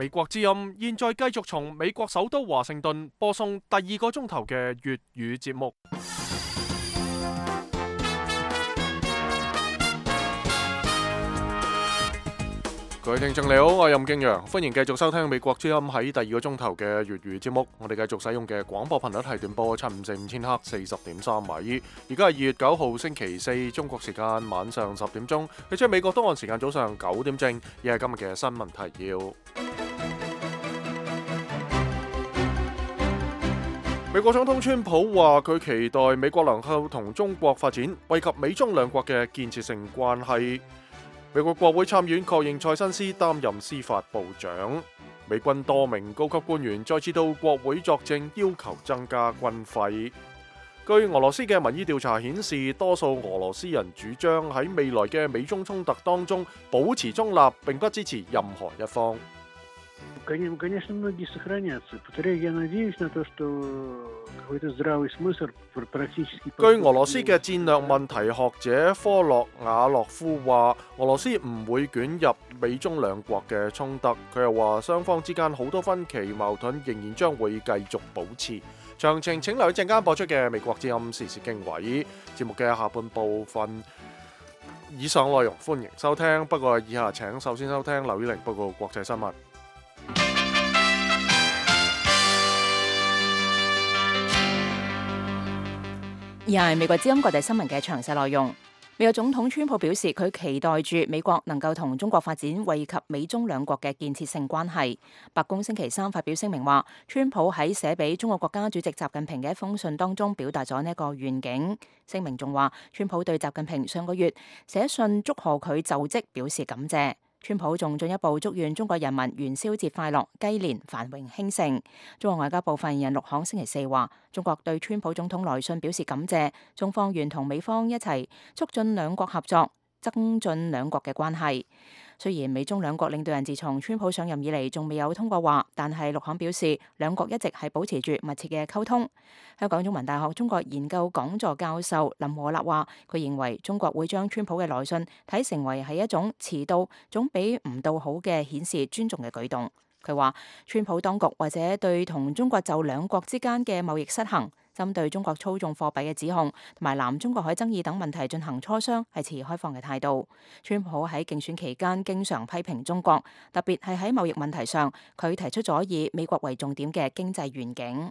美國之音現在繼續從美國首都華盛頓播送第二個鐘頭嘅粵語節目。各位聽眾你好，我係任敬陽，歡迎繼續收聽美國之音喺第二個鐘頭嘅粵語節目。我哋繼續使用嘅廣播頻率係短波7545千赫40.3米。而家係2月9號星期四，中國時間晚上10點鐘，你即係美國東岸時間早上9點正。而係今日嘅新聞提要。美國總統川普話佢期待美國能夠同中國發展惠及美中兩國嘅建設性關係。美國國會參議院確認蔡新斯擔任司法部長。美軍多名高級官員再次到國會作證，要求增加軍費。據俄羅斯嘅民意調查顯示，多數俄羅斯人主張喺未來嘅美中衝突當中保持中立，並不支持任何一方。據俄羅斯嘅戰略問題學者科洛瓦洛夫話，俄羅斯唔會捲入美中兩國嘅衝突。佢又話，雙方之間好多分歧矛盾仍然將會繼續保持。詳情請留意陣間播出嘅美國之音時事經緯節目嘅下半部分。以上內容歡迎收聽，不過以下請首先收聽劉宇玲報告國際新聞。而係美國之音國際新聞嘅詳細內容。美國總統川普表示，佢期待住美國能夠同中國發展惠及美中兩國嘅建設性關係。白宮星期三發表聲明話，川普喺寫俾中國國家主席習近平嘅一封信當中表達咗呢一個願景。聲明仲話，川普對習近平上個月寫信祝賀佢就職表示感謝。川普仲進一步祝願中國人民元宵節快樂，雞年繁榮興盛。中國外交部發言人陸慷星期四話，中國對川普總統來信表示感謝，中方願同美方一齊促進兩國合作，增進兩國嘅關係。雖然美中兩國領導人自從川普上任以嚟仲未有通過話，但係陸慷表示，兩國一直係保持住密切嘅溝通。香港中文大學中國研究講座教授林和立話，佢認為中國會將川普嘅來信睇成為係一種遲到總比唔到好嘅顯示尊重嘅舉動。佢話，川普當局或者對同中國就兩國之間嘅貿易失衡、針對中國操縱貨幣嘅指控同埋南中國海爭議等問題進行磋商，係持開放嘅態度。川普喺競選期間經常批評中國，特別係喺貿易問題上，佢提出咗以美國為重點嘅經濟願景。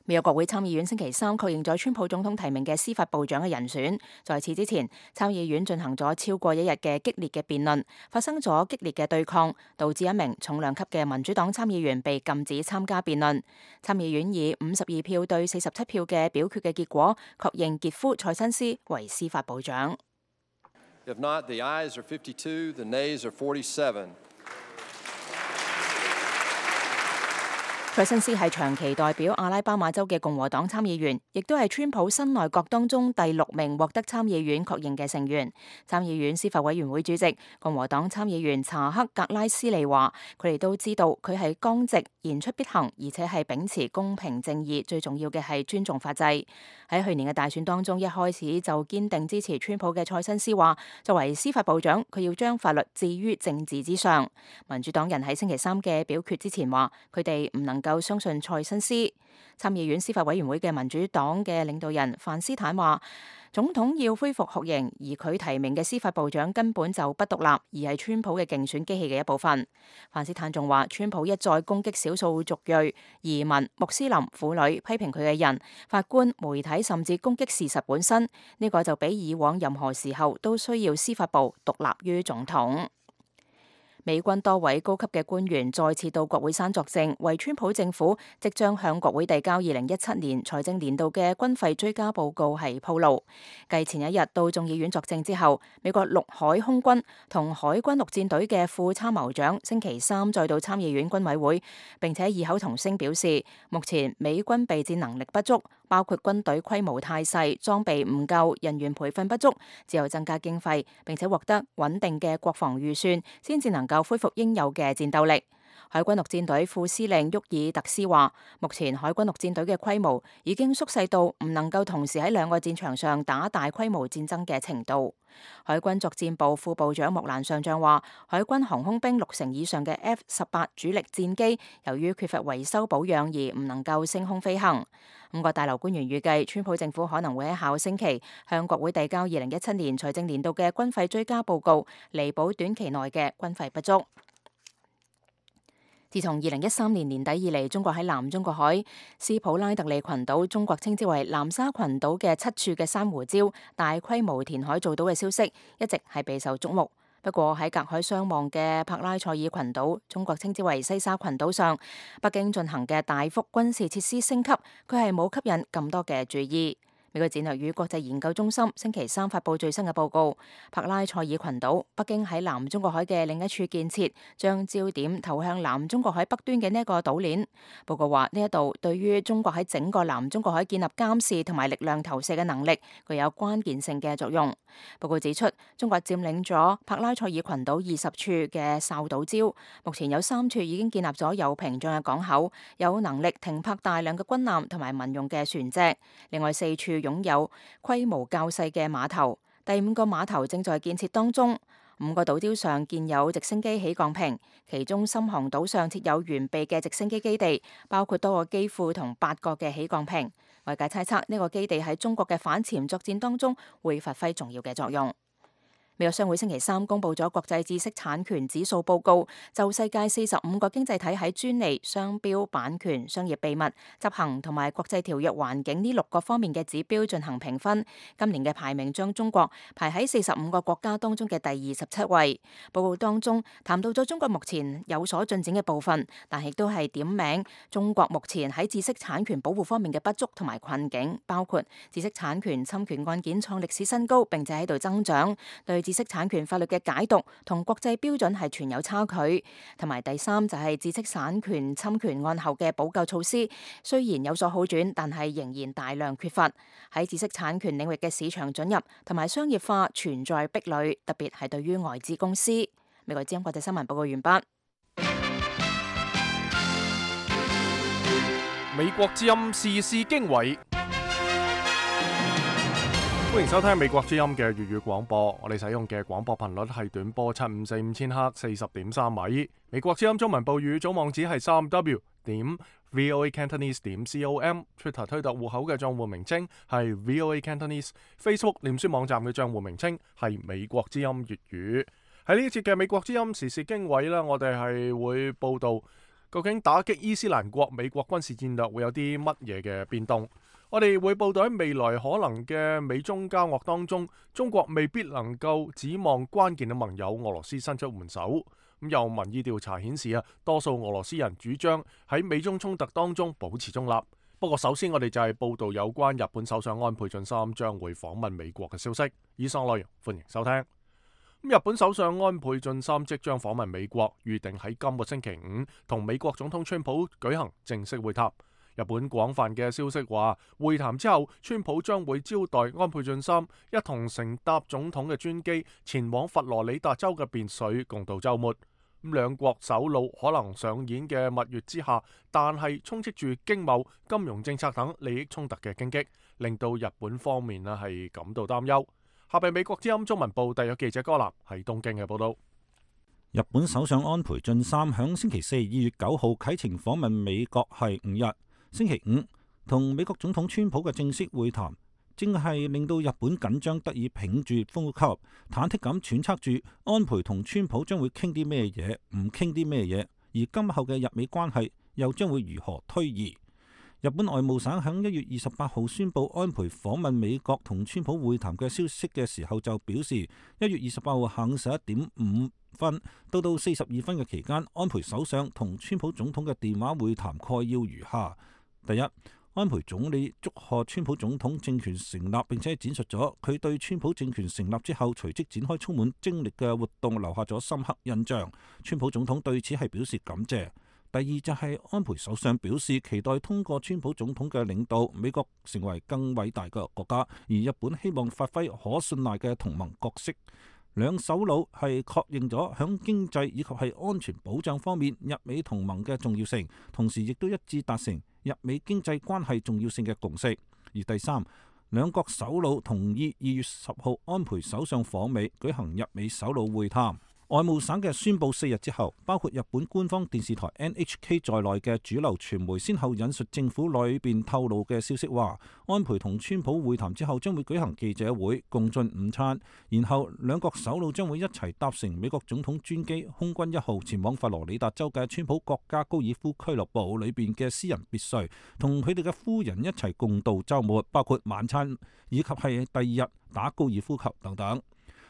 美國國會參議院星期三確認咗川普總統提名嘅司法部長嘅人選。在此之前，參議院進行咗超過一日嘅激烈嘅辯論，發生咗激烈嘅對抗，導致一名重量級嘅民主黨參議員被禁止參加辯論。參議院以52票對47票嘅表決嘅結果，確認傑夫蔡新斯為司法部長。If not, the ayes are 52, the nays are 47. 蔡新斯係長期代表阿拉巴馬州嘅共和黨參議員，亦都係川普新內閣當中第6名獲得參議院確認嘅成員。參議院司法委員會主席共和黨參議員查克格拉斯利話，佢哋都知道佢係剛直、言出必行，而且係秉持公平正義，最重要嘅係尊重法制。喺去年嘅大選當中，一開始就堅定支持川普嘅蔡新斯話，作為司法部長，佢要將法律置於政治之上。民主黨人喺星期三嘅表決之前話，佢哋唔能夠相信蔡新斯。參議院司法委員會嘅民主黨嘅領導人范斯坦話，總統要恢復酷刑，而佢提名嘅司法部長根本就不獨立，而係川普嘅競選機器嘅一部分。范斯坦仲話，川普一再攻擊少數族裔、移民、穆斯林、婦女，批評佢嘅人、法官、媒體，甚至攻擊事實本身。呢個就比以往任何時候都需要司法部獨立於總統。美軍多位高級嘅官員再次到國會山作證，為川普政府即將向國會遞交2017年財政年度嘅軍費追加報告係鋪路。繼前一日到眾議院作證之後，美國陸海空軍同海軍陸戰隊嘅副參謀長星期三再到參議院軍委會，並且異口同聲表示，目前美軍備戰能力不足，包括軍隊規模太細、裝備唔夠、人員培訓不足，只有增加經費，並且獲得穩定嘅國防預算，先至能夠恢復應有嘅戰鬥力。海軍陸戰隊副司令沃爾特斯話，目前海軍陸戰隊嘅規模已經縮細到唔能夠同時喺兩個戰場上打大規模戰爭嘅程度。海軍作戰部副部長莫蘭上將話，海軍航空兵60成以上嘅 F-18主力戰機，由於缺乏維修保養而唔能夠升空飛行。5個大樓官員預計，川普政府可能會喺下個星期向國會遞交2017年財政年度嘅軍費追加報告，彌補短期內嘅軍費不足。自從2013年年底以嚟，中國喺南中國海斯普拉特利群島，中國稱之為南沙群島嘅7處嘅珊瑚礁大規模填海做到嘅消息，一直係備受矚目。不過喺隔海相望嘅柏拉塞爾群島，中國稱之為西沙群島上，北京進行嘅大幅軍事設施升級，佢係冇吸引咁多嘅注意。美國戰略與國際研究中心星期三發布最新嘅報告，柏拉塞爾群島，北京喺南中國海嘅另一處建設，將焦點投向南中國海北端嘅呢一個島鏈。報告話呢一度對於中國喺整個南中國海建立監視同埋力量投射嘅能力，具有關鍵性嘅作用。報告指出，中國佔領咗柏拉塞爾群島20處嘅哨島礁，目前有3處已經建立咗有屏障嘅港口，有能力停泊大量嘅軍艦同埋民用嘅船隻。另外4處擁有規模較細嘅碼頭，第5個碼頭正在建設當中。5個島礁上建有直升機起降坪，其中深航島上設有完備嘅直升機基地，包括多個機庫同8個嘅起降坪。外界猜測呢個基地喺中國嘅反潛作戰當中會發揮重要嘅作用。美國商會星期三公布咗國際知識產權指數報告，就世界45個經濟體喺專利、商標、版權、商業秘密、執行同埋國際條約環境呢6個方面嘅指標進行評分。今年嘅排名將中國排喺45個國家當中嘅第27位。報告當中談到咗中國目前有所進展嘅部分，但亦都係點名中國目前喺知識產權保護方面嘅不足同埋困境，包括知識產權侵權案件創歷史新高，並且喺度增長，對知識產權法律嘅解讀同國際標準係存有差距，同埋第3就係知識產權侵權案後嘅補救措施，雖然有所好轉，但係仍然大量缺乏。喺知識產權領域嘅市場准入同埋商業化存在壁壘，特別係對於外資公司。美國之音國際新聞報告完畢。美國之音時事經緯。歡迎收聽美國之音嘅粵語廣播，我哋使用嘅廣播頻率係短波7545000赫40.3米。美國之音中文報語總網址係3w.voacantonese.com，Twitter 推特戶口嘅賬戶名稱係 VOA Cantonese，Facebook 臉書網站嘅賬戶名稱係美國之音粵語。喺呢一節嘅美國之音時事經緯呢，我哋係會報道究竟打擊伊斯蘭國美國軍事戰略會有啲乜嘢嘅變動。我哋會報道喺未來可能嘅美中交惡當中，中國未必能夠指望關鍵嘅盟友俄羅斯伸出援手。咁有民意調查顯示多數俄羅斯人主張喺美中衝突當中保持中立。不過首先我哋就係報道有關日本首相安倍晉三將會訪問美國嘅消息。以上內容歡迎收聽。日本首相安倍晉三即將訪問美國，預定喺今個星期5同美國總統川普舉行正式會談。日本廣泛嘅消息話，會談之後，川普將會招待安倍晉三一同乘搭總統嘅專機前往佛羅里達州嘅別墅共度週末。兩國首腦可能上演嘅蜜月之下，但係充斥住經貿、金融政策等利益衝突嘅荊棘，令到日本方面係感到擔憂。下邊美國之音中文部特約記者柯南喺東京嘅報道。日本首相安倍晉三響星期4 2月9號啟程訪問美國係5日。星期5同美國總統川普嘅正式會談，正係令到日本緊張得以屏住呼吸，忐忑咁揣測住安倍同川普將會傾啲咩嘢，唔傾啲咩嘢，而今後嘅日美關係又將會如何推移。日本外務省響1月28號宣布安倍訪問美國同川普會談嘅消息嘅時候，就表示1月28號下午11點5分到42分嘅期間，安倍首相同川普總統嘅電話會談概要如下。第一，安倍總理祝賀川普總統政權成立，並且展述咗佢對川普政權成立之後隨即展開充滿精力嘅活動留下咗深刻印象。川普總統對此係表示感謝。第二就係安倍首相表示期待通過川普總統嘅領導，美國成為更偉大嘅國家，而日本希望發揮可信賴嘅同盟角色。兩首腦係確認咗響經濟以及係安全保障方面日美同盟嘅重要性，同時亦都一致達成日美經濟關係重要性嘅共識。而第三，兩國首腦同意2月10號安倍首相訪美舉行日美首腦會談。外務省嘅宣佈4日之後，包括日本官方電視台 NHK 在內嘅主流傳媒先後引述政府裏邊透露嘅消息話，安倍同川普會談之後將會舉行記者會共進午餐，然後兩國首腦將會一齊搭乘美國總統專機空軍1號前往佛羅里達州嘅川普國家高爾夫俱樂部裏邊嘅私人別墅，同佢哋嘅夫人一齊共度週末，包括晚餐以及係第二日打高爾夫球等等。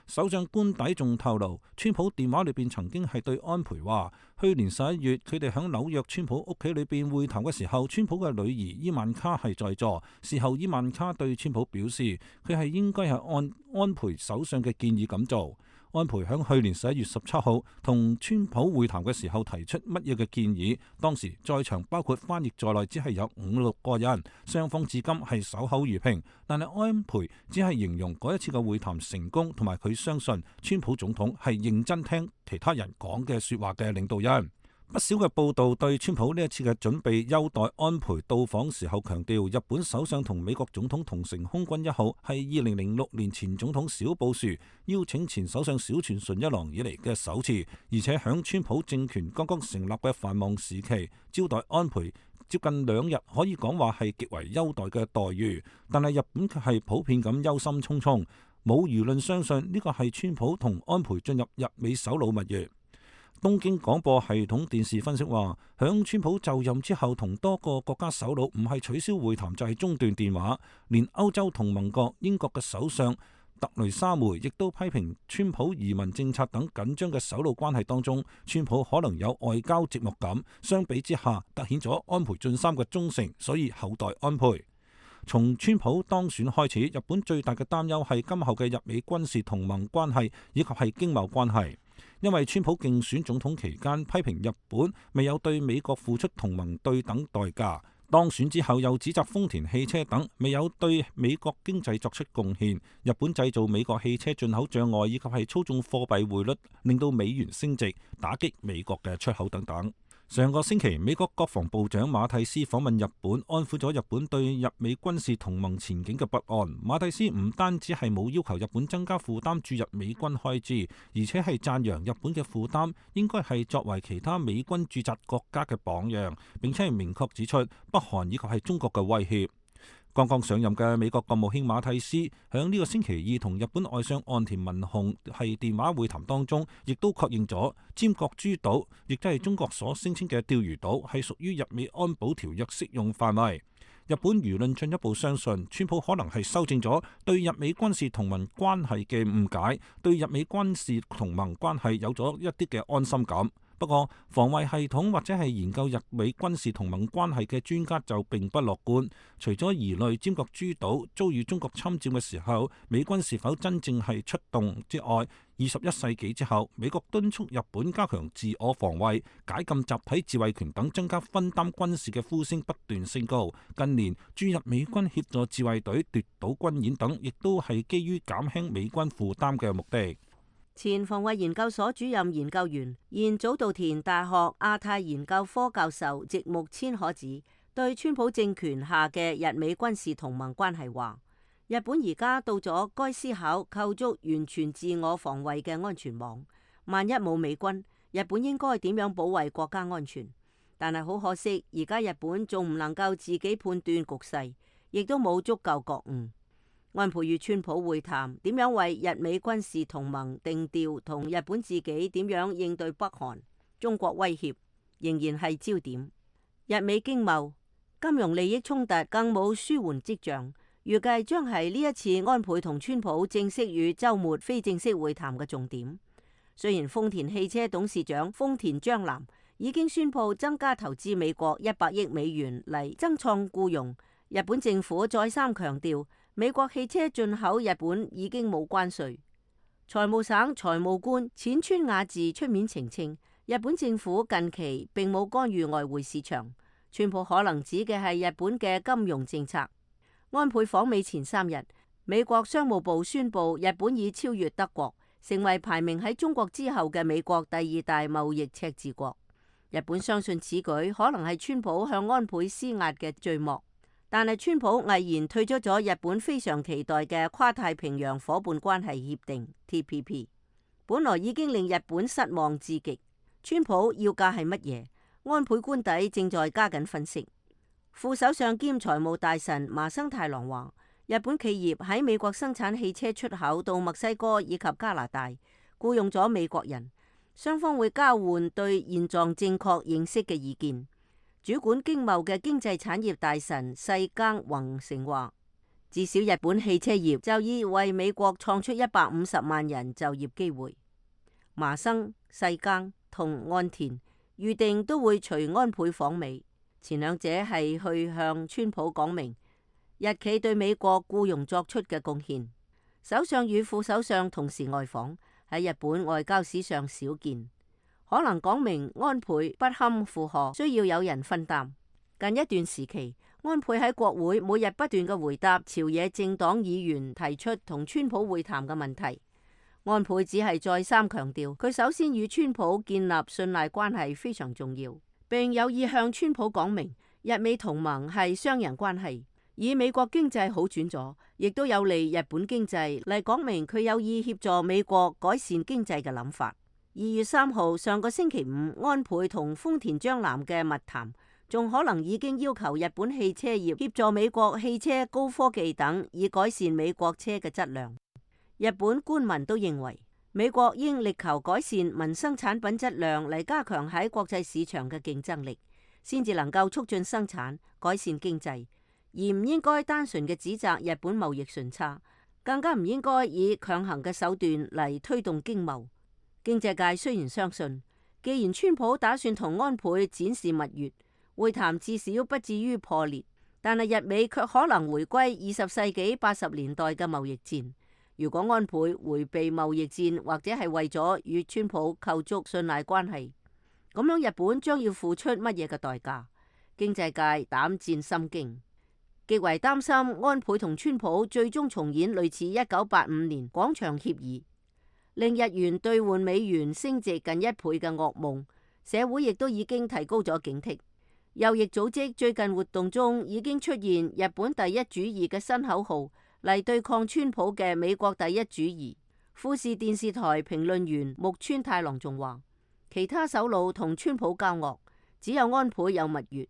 首相官邸仲透露，川普電話裏邊曾經係對安倍話，去年11月佢哋響紐約川普屋企裏邊會談嘅時候，川普嘅女兒伊萬卡係在座。事後伊萬卡對川普表示，佢係應該係按安倍首相嘅建議咁做。安倍響去年11月17號同川普會談嘅時候提出乜嘢嘅建議？當時在場包括翻譯在內，只係有5-6個人，雙方至今係守口如瓶。但係安倍只係形容嗰一次嘅會談成功，同埋佢相信川普總統係認真聽其他人講嘅說話嘅領導人。不少嘅報道對川普呢一次嘅準備優待安倍到訪時候強調，日本首相同美國總統同乘空軍1號係2006年前總統小布殊邀請前首相小泉純一郎以嚟嘅首次，而且響川普政權剛剛成立嘅繁忙時期招待安倍接近2日，可以講話係極為優待嘅待遇。但係日本卻係普遍咁憂心忡忡，冇輿論相信呢個係川普同安倍進入日美首腦蜜月。東京廣播系統電視分析話，響川普就任之後，同多個國家首腦唔係取消會談就係中斷電話，連歐洲同盟國英國嘅首相特雷莎梅亦都批評川普移民政策等緊張嘅首腦關係當中，川普可能有外交寂寞感。相比之下，凸顯咗安倍晉三嘅忠誠，所以厚待安倍。從川普當選開始，日本最大嘅擔憂係今後嘅日美軍事同盟關係以及係經貿關係。因為川普競選總統期間批評日本未有對美國付出同盟對等代價，當選之後又指責豐田汽車等未有對美國經濟作出貢獻，日本製造美國汽車進口障礙以及係操縱貨幣匯率，令到美元升值，打擊美國嘅出口等等。上個星期，美國國防部長馬蒂斯訪問日本，安撫咗日本對日美軍事同盟前景嘅不安。馬蒂斯唔單止係冇要求日本增加負擔駐日美軍開支，而且係讚揚日本嘅負擔應該係作為其他美軍駐紮國家嘅榜樣，並且係明確指出北韓以及係中國嘅威脅。剛剛上任嘅美國國務卿馬蒂斯響呢個星期二同日本外相岸田文雄係電話會談當中，亦都確認咗尖閣諸島，亦都係中國所聲稱嘅釣魚島，係屬於日美安保條約適用範圍。日本輿論進一步相信，川普可能係修正咗對日美軍事同盟關係嘅誤解，對日美軍事同盟關係有咗一啲嘅安心感。不過，防衛系統或者係研究日美軍事同盟關係嘅專家就並不樂觀。除咗疑慮尖閣諸島遭遇中國侵佔嘅時候，美軍是否真正係出動之外，21世紀之後，美國敦促日本加強自我防衛、解禁集體自衛權等，增加分擔軍事嘅呼聲不斷升高。近年駐日美軍協助自衛隊奪島軍演等，亦都係基於減輕美軍負擔嘅目的。前防衛研究所主任研究員、現早稻田大學亞太研究科教授植木千可子對川普政權下嘅日美軍事同盟關係話：日本而家到咗該思考構築完全自我防衛嘅安全網。萬一冇美軍，日本應該點樣保衛國家安全？但係好可惜，而家日本仲唔能夠自己判斷局勢，亦都冇足夠覺悟。安倍與川普會談，點樣為日美軍事同盟定調，同日本自己點樣應對北韓、中國威脅，仍然係焦點。日美經貿、金融利益衝突更冇舒緩跡象，預計將係呢一次安倍同川普正式與週末非正式會談嘅重點。雖然豐田汽車董事長豐田章男已經宣布增加投資美國100億美元嚟增創僱傭，日本政府再三強調，美國汽車進口日本已經冇關稅。財務省財務官淺川雅治出面澄清，日本政府近期並冇干預外匯市場。川普可能指嘅係日本嘅金融政策。安倍訪美前3日，美國商務部宣布日本已超越德國，成為排名喺中國之後嘅美國第二大貿易赤字國。日本相信此舉可能係川普向安倍施壓嘅序幕，但係川普毅然退出咗日本非常期待嘅跨太平洋夥伴關係協定 TPP， 本來已經令日本失望至極。川普要價係乜嘢？安倍官邸正在加緊分析。副首相兼財務大臣麻生太郎話，日本企業喺美國生產汽車出口到墨西哥以及加拿大，僱用咗美國人。雙方會交換對現狀正確認識嘅意見。主管經貿嘅經濟產業大臣世耕宏成話，至少日本汽車業就已為美國創出150萬人就業機會。麻生、世耕同岸田預定都會隨安倍訪美，前兩者係去向川普講明日企對美國僱傭作出嘅貢獻。首相與副首相同時外訪，喺日本外交史上少見，可能講明安倍不堪負荷，需要有人分擔。近一段時期，安倍喺國會每日不斷嘅回答朝野政黨議員提出同川普會談嘅問題。安倍只係再三強調，佢首先與川普建立信賴關係非常重要，並有意向川普講明日美同盟係雙贏關係。以美國經濟好轉咗，亦都有利日本經濟，嚟講明佢有意協助美國改善經濟嘅諗法。2月3號上個星期五，安倍同豐田章男嘅密談，仲可能已經要求日本汽車業協助美國汽車高科技等，以改善美國車嘅質量。日本官民都認為，美國應力求改善民生產品質量，嚟加強喺國際市場嘅競爭力，先至能夠促進生產，改善經濟。而唔應該單純嘅指責日本貿易順差，更加唔應該以強行嘅手段嚟推動經貿。經濟界雖然相信，既然川普打算同安倍展示蜜月，會談至少不至於破裂，但係日美卻可能回歸20世紀80年代嘅貿易戰。如果安倍迴避貿易戰，或者係為咗與川普構築信賴關係，咁樣日本將要付出乜嘢嘅代價？經濟界膽戰心驚。極為擔心安倍同川普最終重演類似1985年廣場協議，令日元兌換美元升值近1倍嘅噩夢。社會亦都已經提高咗警惕。右翼組織最近活動中已經出現日本第一主義嘅新口號，嚟對抗川普嘅美國第一主義。富士電視台評論員木村太郎仲話，其他首腦同川普交惡，只有安倍有蜜月。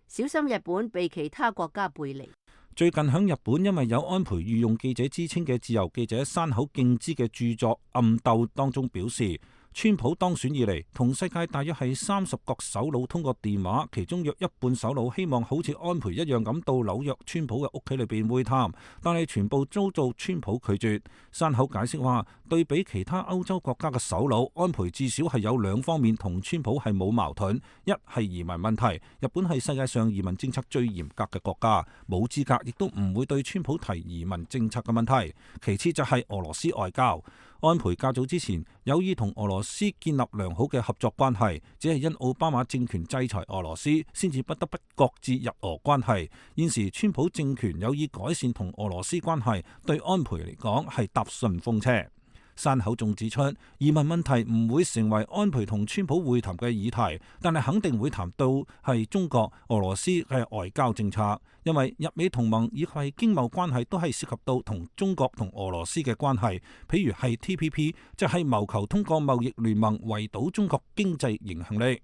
小心日本被其他國家背離。最近響日本，因為有安倍御用記者之稱嘅自由記者山口敬之嘅著作《暗鬥》當中表示，川普當選以嚟，同世界大約係30個首腦通過電話，其中約一半首腦希望好似安倍一樣咁到紐約川普嘅屋企裏邊會談，但係全部遭到川普拒絕。山口解釋話，對比其他歐洲國家嘅首腦，安倍至少係有兩方面同川普係冇矛盾，一係移民問題，日本係世界上移民政策最嚴格嘅國家，冇資格亦都唔會對川普提移民政策嘅問題。其次就係俄羅斯外交。安倍較早之前有意同俄羅斯建立良好嘅合作關係，只係因奧巴馬政權制裁俄羅斯，先至不得不擱置日俄關係。現時川普政權有意改善同俄羅斯關係，對安倍嚟講係搭順風車。山口仲指出，移民問題唔會成為安倍同川普會談嘅議題，但係肯定會談到係中國、俄羅斯嘅外交政策，因為日美同盟以及係經貿關係都係涉及到同中國同俄羅斯嘅關係，譬如係 TPP， 就係謀求通過貿易聯盟圍堵中國經濟影響力。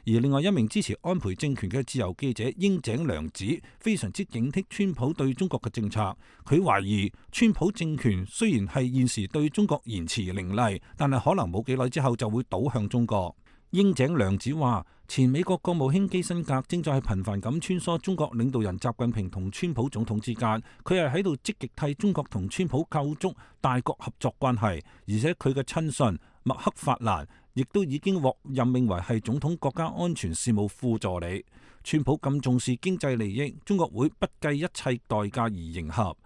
而另外一名支持安倍政權嘅自由記者櫻井良子非常之警惕川普對中國嘅政策，佢懷疑川普政權雖然係現時對中國言辭凌厲，但係可能冇幾耐之後就會倒向中國。櫻井良子話，前美國國務卿基辛格正在頻繁咁穿梭中國領導人習近平同川普總統之間，佢係喺度積極替中國同川普構築大國合作關係，而且佢嘅親信麥克法蘭亦都已經獲任命為係總統國家安全事務副助理。川普咁重視經濟利益，中國會不計一切代價而迎合。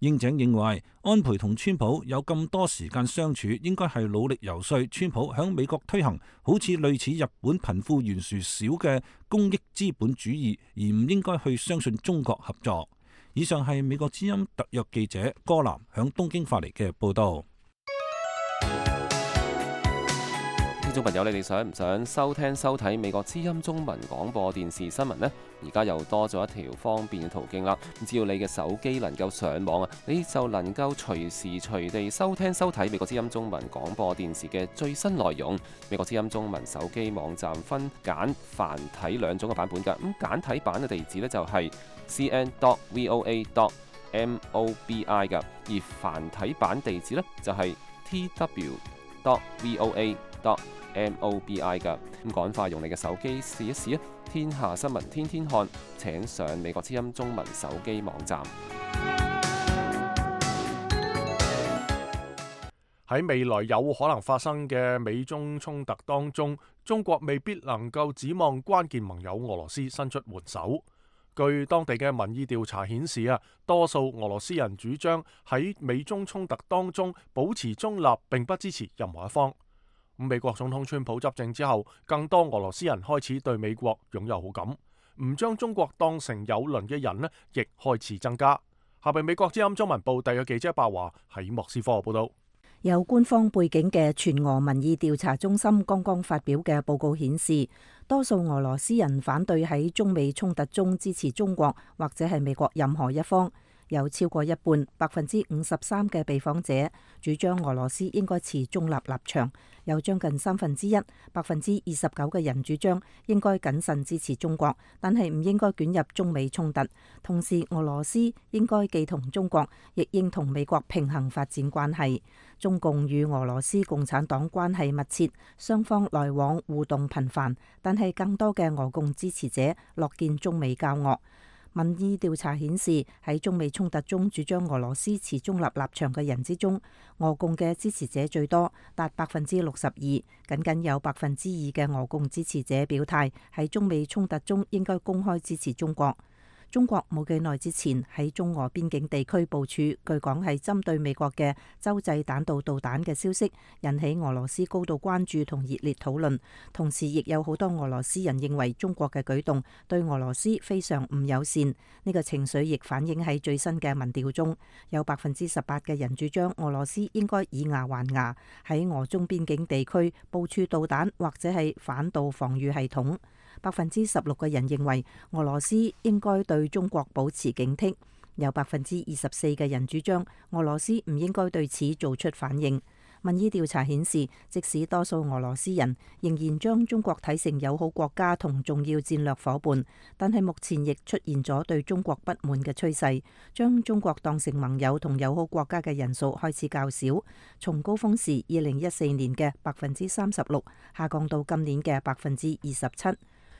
櫻井認為，安倍同川普有咁多時間相處，應該係努力游說川普響美國推行好似類似日本貧富懸殊少嘅公益資本主義，而唔應該去相信中國合作。以上係美國之音特約記者柯南響東京發嚟嘅報道。聽眾朋友，你哋想唔想收聽收睇美國之音中文廣播電視新聞呢？而家又多咗一條方便嘅途徑啦。只要你嘅手機能夠上網啊，你就能夠隨時隨地收聽收睇美國之音中文廣播電視嘅最新內容。美國之音中文手機網站分簡繁體兩種嘅版本㗎。咁簡體版嘅地址呢，就係 cn.voa.mobi 㗎，而繁體版地址呢，就係 tw.voa.mobi 㗎。咁趕快用你嘅手機試一試啊！天下新聞天天看，請上美國之音中文手機網站。喺未來有可能發生嘅美中衝突當中，中國未必能夠指望關鍵盟友俄羅斯伸出援手。據當地嘅民意調查顯示啊，多數俄羅斯人主張喺美中衝突當中保持中立，並不支持任何一方。美國總統川普執政之後，更多俄羅斯人開始對美國擁有好感，唔將中國當成友鄰嘅人呢，亦開始增加。下邊美國之音中文部第嘅記者白華喺莫斯科報道。有官方背景嘅全俄民意調查中心剛剛發表嘅報告顯示，多數俄羅斯人反對喺中美衝突中支持中國或者係美國任何一方。有超過一半，53%嘅被訪者主張俄羅斯應該持中立立場，有將近1/3，29%嘅人主張應該謹慎支持中國，但係唔應該捲入中美衝突。同時，俄羅斯應該既同中國，亦應同美國平衡發展關係。中共與俄羅斯共產黨關係密切，雙方來往互動頻繁，但係更多嘅俄共支持者樂見中美交惡。民意調查顯示，喺中美衝突中主張俄羅斯持中立立場嘅人之中，俄共嘅支持者最多，達62%，僅有2%嘅俄共支持者表態喺中美衝突中應該公開支持中國。中國冇幾耐之前喺中俄邊境地區部署，據講係針對美國嘅洲際彈道導彈嘅消息，引起俄羅斯高度關注同熱烈討論。同時，亦有好多俄羅斯人認為中國嘅舉動對俄羅斯非常唔友善。呢個情緒亦反映喺最新嘅民調中，有18%嘅人主張俄羅斯應該以牙還牙，喺俄中邊境地區部署導彈或者係反導防禦系統。16%嘅人認為俄羅斯應該對中國保持警惕，有24%嘅人主張俄羅斯唔應該對此做出反應。民意調查顯示，即使多數俄羅斯人仍然將中國睇成友好國家同重要戰略夥伴，但係目前亦出現咗對中國不滿嘅趨勢，將中國當成盟友同友好國家嘅人數開始較少，從高峰時2014年嘅36%下降到今年嘅27%。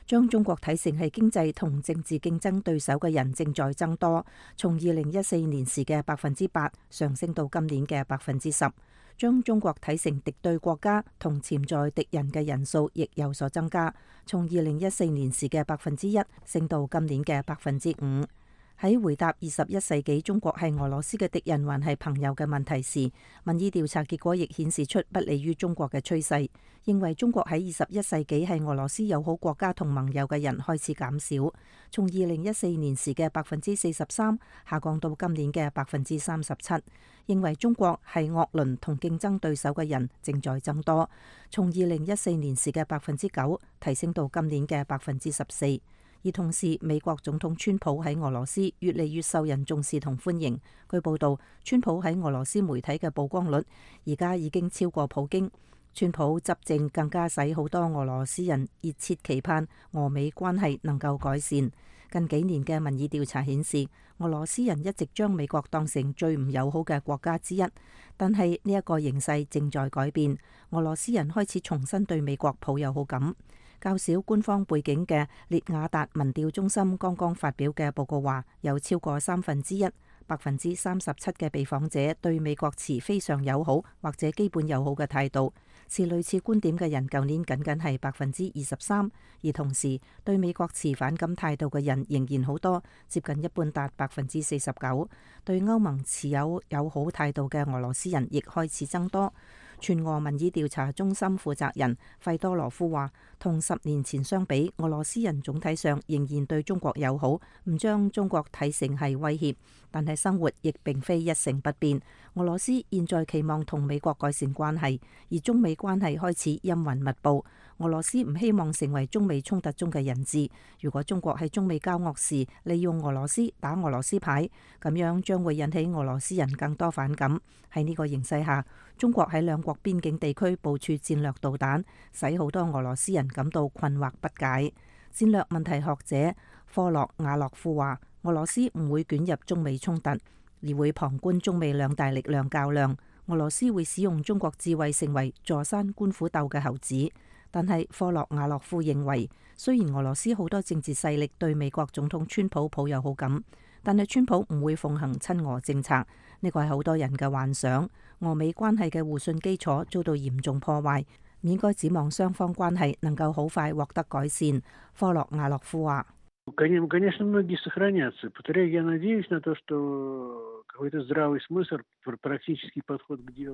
將中國睇成係經濟同政治競爭對手嘅人正在增多，從2014年時嘅8%上升到今年嘅10%。將中國睇成敵對國家同潛在敵人嘅人數亦有所增加，從2014年時嘅1%升到今年嘅5%。喺回答21世紀中國係俄羅斯嘅敵人還係朋友嘅問題時，民意調查結果亦顯示出不利於中國嘅趨勢，認為中國喺21世紀係俄羅斯友好國家同盟友嘅人開始減少，從2014年時嘅43%下降到今年嘅37%。認為中國係惡鄰同競爭對手嘅人正在增多，從2014年時嘅9%提升到今年嘅14%。而同時，美國總統川普喺俄羅斯越嚟越受人重視同歡迎。據報道，川普喺俄羅斯媒體嘅曝光率而家已經超過普京。川普執政更加使好多俄羅斯人熱切期盼俄美關係能夠改善。近幾年嘅民意調查顯示，俄羅斯人一直將美國當成最唔友好嘅國家之一，但係呢一個形勢正在改變，俄羅斯人開始重新對美國抱有好感。較少官方背景嘅列雅達民調中心剛剛發表嘅報告話，有超過1/3，37%嘅被訪者對美國持非常友好或者基本友好嘅態度。持類似觀點嘅人，舊年僅係23%，而同時對美國持反感態度嘅人仍然好多，接近一半達49%。對歐盟持有友好態度嘅俄羅斯人亦開始增多。全俄民意調查中心負責人費多羅夫話，同10年前相比，俄羅斯人總體上仍然對中國友好，唔將中國睇成係威脅，但係生活亦並非一成不變。俄羅斯現在期望同美國改善關係，而中美關係開始陰雲密布。俄羅斯唔希望成為中美衝突中嘅人質。如果中國喺中美交惡時利用俄羅斯打俄羅斯牌，咁樣將會引起俄羅斯人更多反感。喺呢個形勢下，中國喺兩國邊境地區部署戰略導彈，使好多俄羅斯人感到困惑不解。戰略問題學者科洛瓦洛夫話，俄羅斯唔會捲入中美衝突，而會旁觀中美兩大力量較量。俄羅斯會使用中國智慧成為坐山觀虎鬥嘅猴子。但係科洛瓦洛夫認為，雖然俄羅斯好多政治勢力對美國總統川普抱有好感，但係川普唔會奉行親俄政策，呢個係好多人嘅幻想。俄美關係嘅互信基礎遭到嚴重破壞，唔應該指望雙方關係能夠好快獲得改善。科洛瓦洛夫話。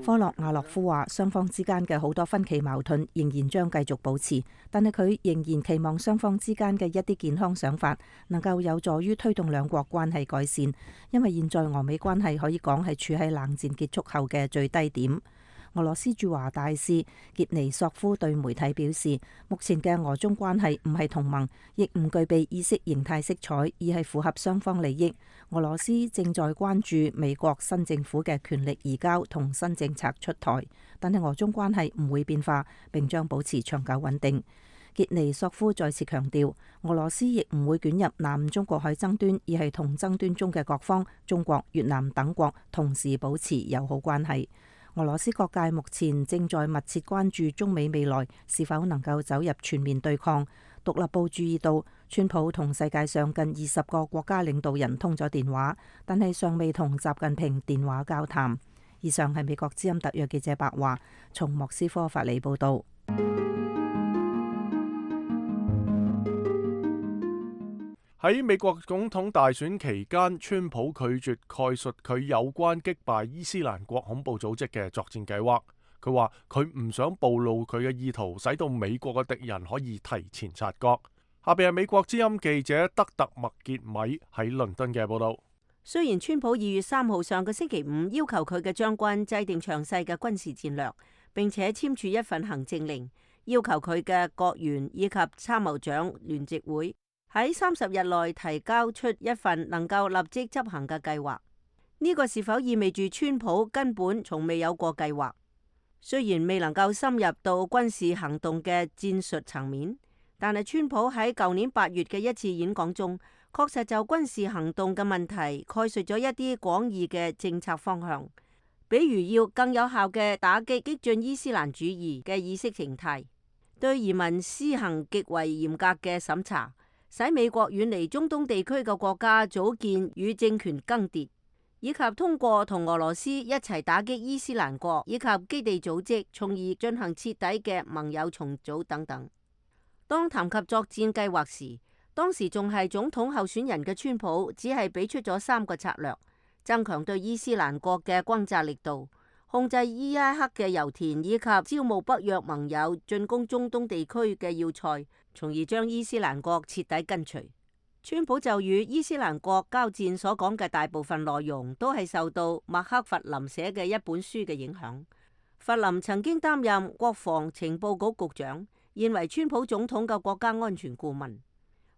科洛瓦洛夫話，雙方之間嘅好多分歧矛盾仍然將繼續保持，但係佢仍然期望雙方之間嘅一啲健康想法能夠有助於推動兩國關係改善，因為現在俄美關係可以講係處喺冷戰結束後嘅最低點。俄羅斯駐華大使傑尼索夫對媒體表示，目前嘅俄中關係唔係同盟，亦唔具備意識形態色彩，而係符合雙方利益。俄羅斯正在關注美國新政府嘅權力移交同新政策出台，但係俄中關係唔會變化，並將保持長久穩定。傑尼索夫再次強調，俄羅斯亦唔會捲入南中國海爭端，而係同爭端中嘅各方，中國、越南等國同時保持友好關係。俄羅斯各界目前正在密切關注中美未來是否能夠走入全面對抗。獨立報注意到，川普同世界上近20個國家領導人通咗電話，但係尚未同習近平電話交談。以上係美國之音特約記者白華從莫斯科發嚟報道。喺美國總統大選期間，川普拒絕概述佢有關擊敗伊斯蘭國恐怖組織嘅作戰計劃。佢話佢唔想暴露佢嘅意圖，使到美國嘅敵人可以提前察覺。下邊係美國之音記者德特麥傑米喺倫敦嘅報道。雖然川普2月3號上個星期五要求佢嘅將軍制定詳細嘅軍事戰略，並且簽署一份行政令，要求佢嘅國員以及參謀長聯席會喺30日內提交出一份能夠立即執行嘅計劃。呢個是否意味住川普根本從未有過計劃？雖然未能夠深入到軍事行動嘅戰術層面，但係川普喺舊年8月嘅一次演講中，確實就軍事行動嘅問題概述咗一啲廣義嘅政策方向，比如要更有效嘅打擊激進伊斯蘭主義嘅意識形態，對移民施行極為嚴格嘅審查，使美國遠離中東地區嘅國家組建與政權更迭，以及通過同俄羅斯一齊打擊伊斯蘭國以及基地組織，從而進行徹底嘅盟友重組等等。當談及作戰計劃時，當時仲係總統候選人嘅川普只係俾出咗3個策略：增強對伊斯蘭國嘅轟炸力度，控制伊拉克嘅油田，以及招募北約盟友進攻中東地區嘅要塞，從而將伊斯蘭國徹底根除。川普就與伊斯蘭國交戰所講嘅大部分內容都係受到麥克弗林寫嘅一本書嘅影響。弗林曾經擔任國防情報局局長，現為川普總統嘅國家安全顧問。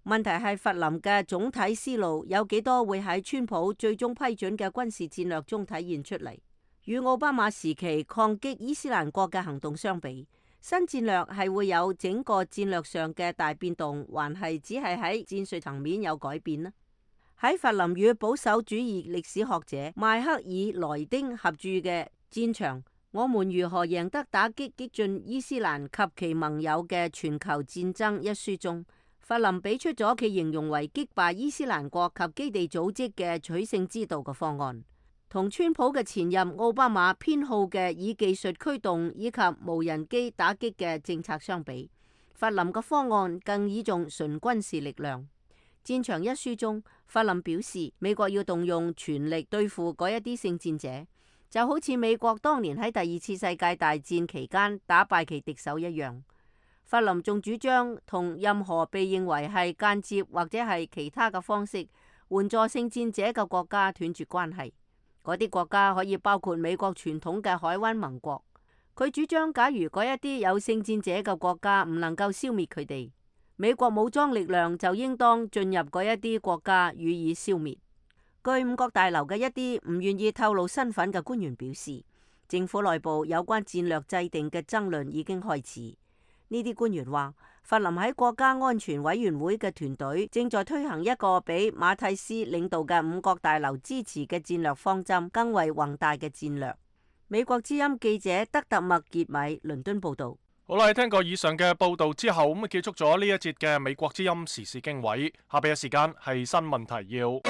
問題係弗林嘅總體思路有幾多會喺川普最終批准嘅軍事戰略中體現出嚟？與奧巴馬時期抗擊伊斯蘭國嘅行動相比，新戰略係會有整個戰略上嘅大變動，還係只係喺戰術層面有改變呢？喺弗林與保守主義歷史學者邁克爾萊丁合著嘅《戰場：我們如何贏得打擊激進伊斯蘭及其盟友嘅全球戰爭》一書中，弗林俾出咗其形容為擊敗伊斯蘭國及基地組織嘅取勝之道嘅方案。同川普嘅前任奧巴馬偏好嘅以技術驅動以及無人機打擊嘅政策相比，弗林嘅方案更倚重純軍事力量。戰場一書中，弗林表示美國要動用全力對付嗰一啲聖戰者，就好似美國當年喺第二次世界大戰期間打敗其敵手一樣。法林仲主張同任何被認為係間接或者係其他嘅方式援助聖戰者嘅國家斷絕關係。嗰啲國家可以包括美國傳統嘅海灣盟國。佢主張，假如嗰一啲有聖戰者嘅國家唔能夠消滅佢哋，美國武裝力量就應當進入嗰一啲國家予以消滅。據五角大樓嘅一啲唔願意透露身份嘅官員表示，政府內部有關戰略制定嘅爭論已經開始。呢啲官員話，法林喺國家安全委員會嘅團隊正在推行一個比馬蒂斯領導嘅五角大樓支持嘅戰略方針更為宏大嘅戰略。美國之音記者德特麥傑米倫敦報道。好啦，聽過以上嘅報道之後，咁結束咗呢一節嘅美國之音時事經緯。下邊嘅時間係新聞提要。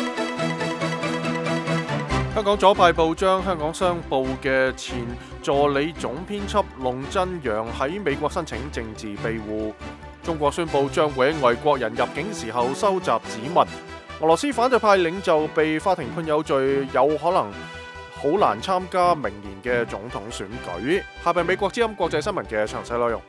香港左派報章《香港商報》嘅前助理總編輯龍振陽喺美國申請政治庇護。中國宣布將會喺外國人入境時候收集指紋。俄羅斯反對派領袖被法庭判有罪，有可能好難參加明年嘅總統選舉。下邊美國之音國際新聞嘅詳細內容。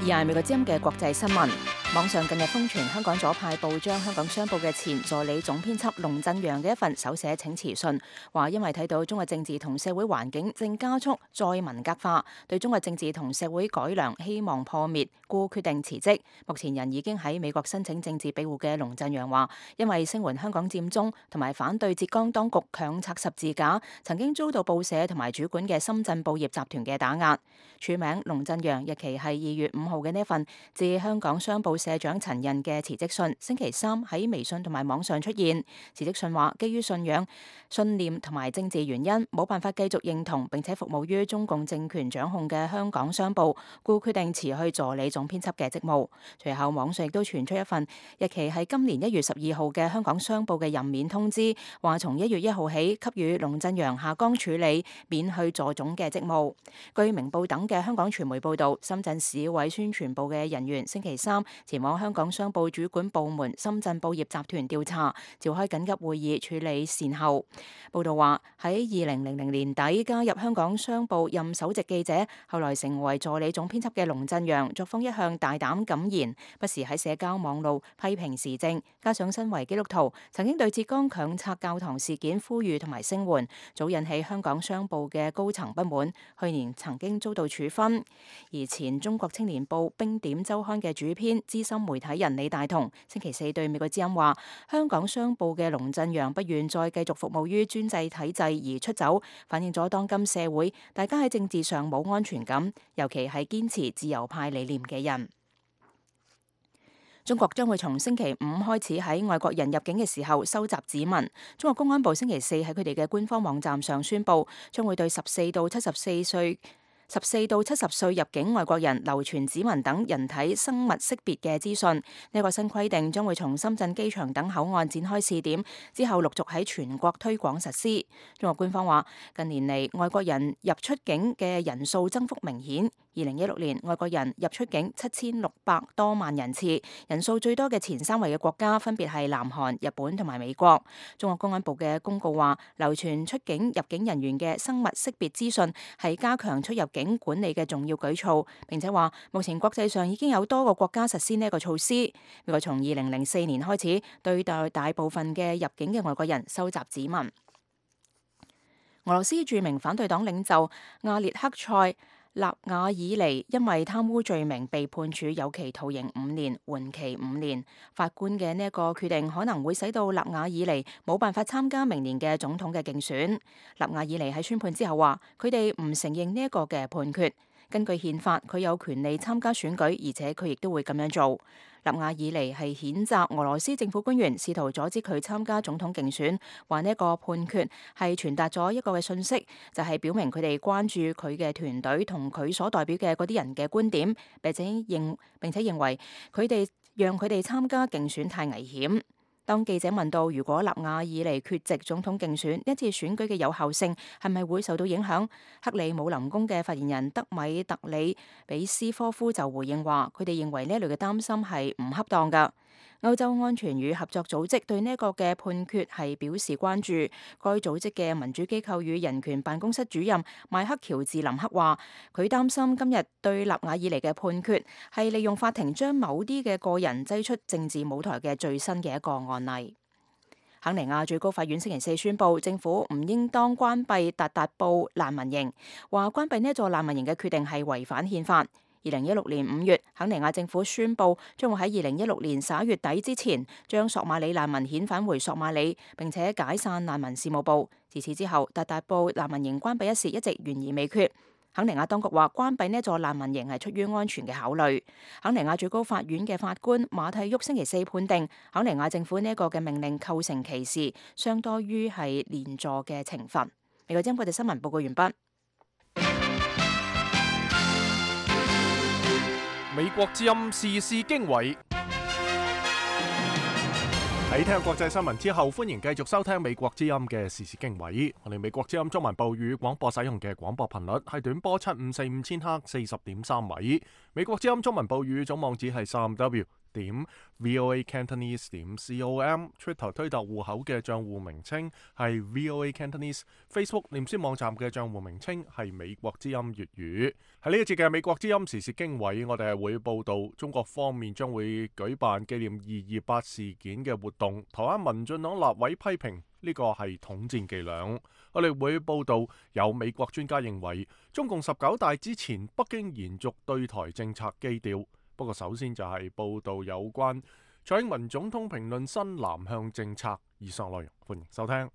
而係美國之音嘅國際新聞。網上近日瘋傳香港左派報章《香港商報》嘅前助理總編輯龍振陽嘅一份手寫請辭信，話因為睇到中國政治同社會環境正加速再文革化，對中國政治同社會改良希望破滅，故決定辭職。目前人已經喺美國申請政治庇護嘅龍振陽話，因為聲援香港佔中同埋反對浙江當局強拆十字架，曾經遭到報社同埋主管嘅深圳報業集團嘅打壓。署名龍振陽，日期係2月5號嘅呢份致香港商報社長陳印嘅辭職信，星期三喺微信同埋網上出現。辭職信話，基於信仰、信念同埋政治原因，冇辦法繼續認同並且服務於中共政權掌控嘅香港商報，故決定辭去助理總編輯嘅職務。隨後網上亦都傳出一份日期係今年1月12號嘅香港商報嘅任免通知，話從1月1號起給予龍振陽下崗處理，免去助總嘅職務。據明報等嘅香港傳媒報道，深圳市委宣傳部嘅人員星期三前往香港商報主管部門深圳報業集團調查，召開緊急會議處理善後。報道話喺2000年底加入香港商報任首席記者，後來成為助理總編輯嘅龍振陽，作風一向大膽敢言，不時喺社交網路批評時政，加上身為基督徒，曾經對浙江強拆教堂事件呼籲同埋聲援，早引起香港商報嘅高層不滿，去年曾經遭到處分。而前中國青年報冰點週刊嘅主編資深媒體人李大同星期四對美國之音話，香港商報嘅龍振陽不願再繼續服務於專制體制而出走，反映咗當今社會大家喺政治上冇安全感，尤其係堅持自由派理念嘅人。中國將會從星期五開始喺外國人入境嘅時候收集指紋。中國公安部星期四喺佢哋嘅官方網站上宣布，將會對14到70歲入境外國人流傳指紋等人體生物識別嘅資訊。呢個新規定將會從深圳機場等口岸展開試點，之後陸續喺全國推廣實施。中國官方話，近年嚟外國人入出境嘅人數增幅明顯。2016年外國人入出境7600多萬人次，人數最多嘅前3位嘅國家分別係南韓、日本同埋美國。中國公安部嘅公告話，流傳出境入境人員嘅生物識別資訊係加強出入境管理嘅重要舉措，並且話目前國際上已經有多個國家實施呢一個措施。美國從2004年開始對待大部分嘅入境嘅外國人收集指紋。俄羅斯著名反對黨領袖亞列克塞納瓦爾尼因為貪污罪名被判處有期徒刑5年，緩期5年。法官嘅呢一個決定可能會使到納瓦爾尼冇辦法參加明年嘅總統嘅競選。納瓦爾尼喺宣判之後話，佢哋唔承認呢一個嘅判決。根據憲法，佢有權利參加選舉，而且佢亦都會咁樣做。納瓦爾尼係譴責俄羅斯政府官員試圖阻止佢參加總統競選，話呢一個判決係傳達咗一個嘅信息，就係表明佢哋關注佢嘅團隊同佢所代表嘅嗰啲人嘅觀點，並且認為佢哋讓佢哋參加競選太危險。當記者問到如果納瓦爾尼缺席總統競選，呢次選舉嘅有效性係咪會受到影響？克里姆林宮嘅發言人德米特里比斯科夫就回應話，佢哋認為呢一類嘅擔心係唔恰當㗎。歐洲安全與合作組織對呢一個嘅判決係表示關注。該組織嘅民主機構與人權辦公室主任邁克喬治林克話，佢擔心今日對納瓦爾尼嘅判決係利用法庭將某啲嘅個人擠出政治舞台嘅最新嘅一個案例。肯尼亞最高法院星期四宣布，政府唔應當關閉達達布難民營，話關閉呢一座難民營嘅決定係違反憲法。2016年5月，肯尼亞政府宣布將會喺2016年11月底之前將索馬里難民遣返回索馬里，並且解散難民事務部。自此之後，達達布難民營關閉一事一直懸而未決。肯尼亞當局話關閉呢座難民營係出於安全嘅考慮。肯尼亞最高法院嘅法官馬蒂沃星期四判定，肯尼亞政府呢一個嘅命令構成歧視，相當於係連坐嘅懲罰。美國之音國際新聞報告完畢。美國之音時事經緯。喺聽國際新聞之後，歡迎繼續收聽美國之音嘅時事經緯。我哋美國之音中文部語廣播使用嘅廣播頻率係短波7545千赫40.3米。美國之音中文部語總網址係3w.voacantonese.com。Twitter 推特戶口嘅賬戶名稱係 VOA Cantonese。Facebook 臉書網站嘅賬戶名稱係美國之音粵語。喺呢一節嘅美國之音時事經緯，我哋係會報道中國方面將會舉辦紀念228事件嘅活動。台灣民進黨立委批評呢個係統戰伎倆。我哋會報道有美國專家認為，中共19大之前，北京延續對台政策基調。不過首先就係報道有關蔡英文總統評論新南向政策。以上內容歡迎收聽。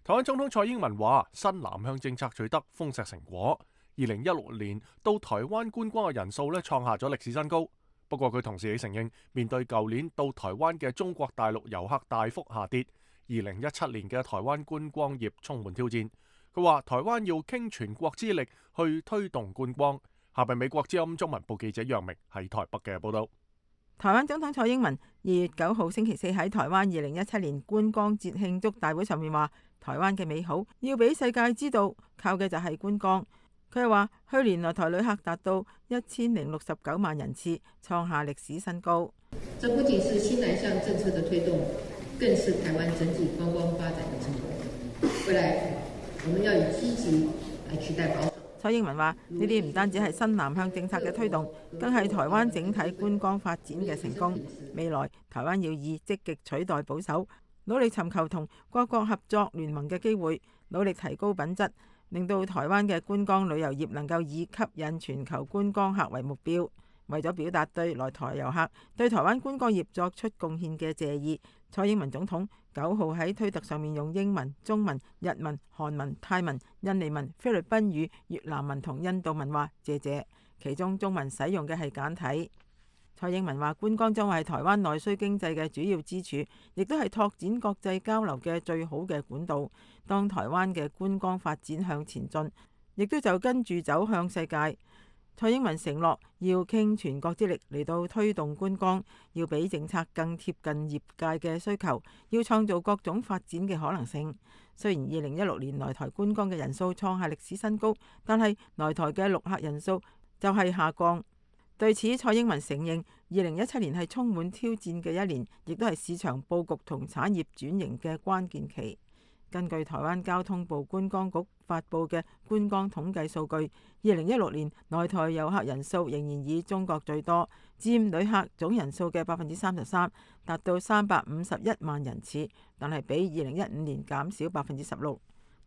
台灣總統蔡英文話，新南向政策取得豐碩成果。2016年到台灣觀光嘅人數創下咗歷史新高。不過佢同時亦承認，面對舊年到台灣嘅中國大陸遊客大幅下跌，2017年嘅台灣觀光業充滿挑戰。佢話台灣要傾全國之力去推動觀光。下邊美國之音中文部記者楊明喺台北嘅報道。台灣總統蔡英文2月9號星期四喺台灣2017年觀光節慶祝大會上面話，台灣嘅美好要俾世界知道，靠嘅就係觀光。佢又話，去年來台旅客達到1069萬人次，創下歷史新高。這不僅是新南向政策的推動，更是台灣整體觀光發展的成果。未來我們要以積極來取代保守。蔡英文話：呢啲唔單止係新南向政策嘅推動，更係台灣整體觀光發展嘅成功。未來台灣要以積極取代保守，努力尋求同各國合作聯盟嘅機會，努力提高品質，令到台灣嘅觀光旅遊業能夠以吸引全球觀光客為目標。為咗表達對來台遊客對台灣觀光業作出貢獻嘅謝意，蔡英文總統9號喺推特上面用英文、中文、日文、韓文、泰文、印尼文、菲律賓語、越南文同印度文話謝謝，其中中文使用嘅係簡體。蔡英文話觀光將會係台灣內需經濟嘅主要支柱，亦都係拓展國際交流嘅最好嘅管道。當台灣嘅觀光發展向前進，亦都就跟住走向世界。蔡英文承諾要傾全國之力嚟到推動觀光，要比政策更貼近業界嘅需求，要創造各種發展嘅可能性。雖然2016年來台觀光嘅人數創下歷史新高，但係來台嘅陸客人數就係下降。對此，蔡英文承認2017年係充滿挑戰嘅一年，亦都係市場佈局同產業轉型嘅關鍵期。根據台灣交通部觀光局發布嘅觀光統計數據，2016年來台遊客人數仍然以中國最多，佔旅客總人數嘅33%，達到351萬人次，但係比2015年減少16%。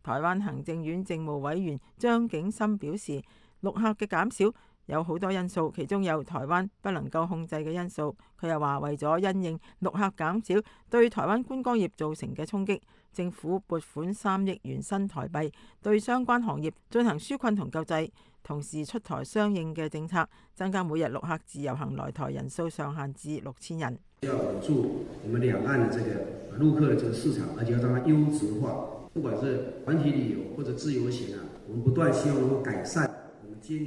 台灣行政院政務委員張景森表示，陸客嘅減少有好多因素，其中有台灣不能夠控制嘅因素。佢又話，為咗因應陸客減少對台灣觀光業造成嘅衝擊，政府撥款3億元新台幣對相關行業進行紓困同救濟，同時出台相應嘅政策，增加每日陸客自由行來台人數上限至6000人。要穩住我們兩岸的這個陸客的這個市場，而且要讓它優質化，不管是團體旅遊或者自由行啊，我們不斷希望能夠改善。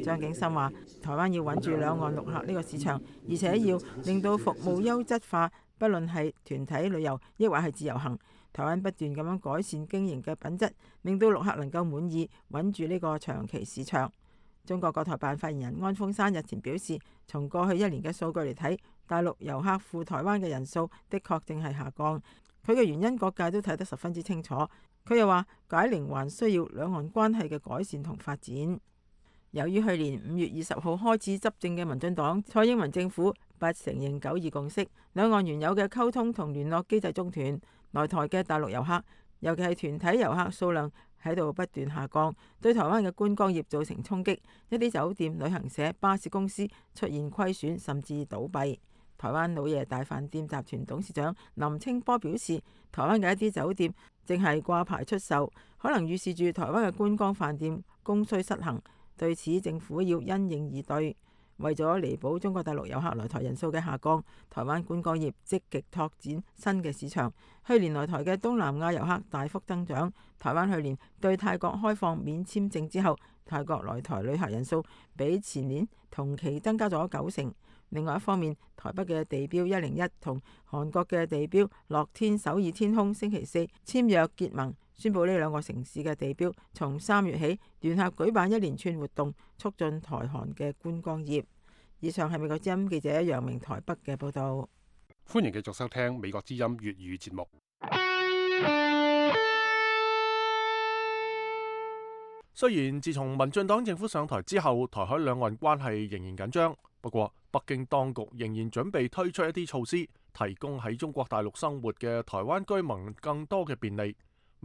張景森話：台灣要穩住兩岸陸客呢個市場，而且要令到服務優質化，不論係團體旅遊抑或係自由行，台灣不斷咁樣改善經營嘅品質，令到陸客能夠滿意，穩住呢個長期市場。中國國台辦發言人安峰山日前表示，從過去1年嘅數據嚟睇，大陸遊客赴台灣嘅人數的確正係下降。佢嘅原因各界都睇得十分之清楚。佢又話解鈴還需要兩岸關係嘅改善同發展。由於去年5月20號開始執政嘅民進黨蔡英文政府不承認9·2共識，兩岸原有嘅溝通同聯絡機制中斷，來台嘅大陸遊客，尤其係團體遊客數量喺度不斷下降，對台灣嘅觀光業造成衝擊，一啲酒店、旅行社、巴士公司出現虧損甚至倒閉。台灣老爺大飯店集團董事長林清波表示，台灣嘅一啲酒店正係掛牌出售，可能預示住台灣嘅觀光飯店供需失衡。對此，政府要因應而對。為咗彌補中國大陸遊客來台人數嘅下降，台灣觀光業積極拓展新嘅市場。去年來台嘅東南亞遊客大幅增長。台灣去年對泰國開放免簽證之後，泰國來台旅客人數比前年同期增加咗90%。另外一方面，台北嘅地標101同韓國嘅地標樂天首爾天空星期四簽約結盟，宣布呢兩個城市嘅地標從3月起聯合舉辦一連串活動，促進台韓嘅觀光業。以上係美國之音記者楊明台北嘅報導。歡迎繼續收聽美國之音粵語節目。雖然自從民進黨政府上台之後，台海兩岸關係仍然緊張，不過北京當局仍然準備推出一啲措施，提供喺中國大陸生活嘅台灣居民更多嘅便利。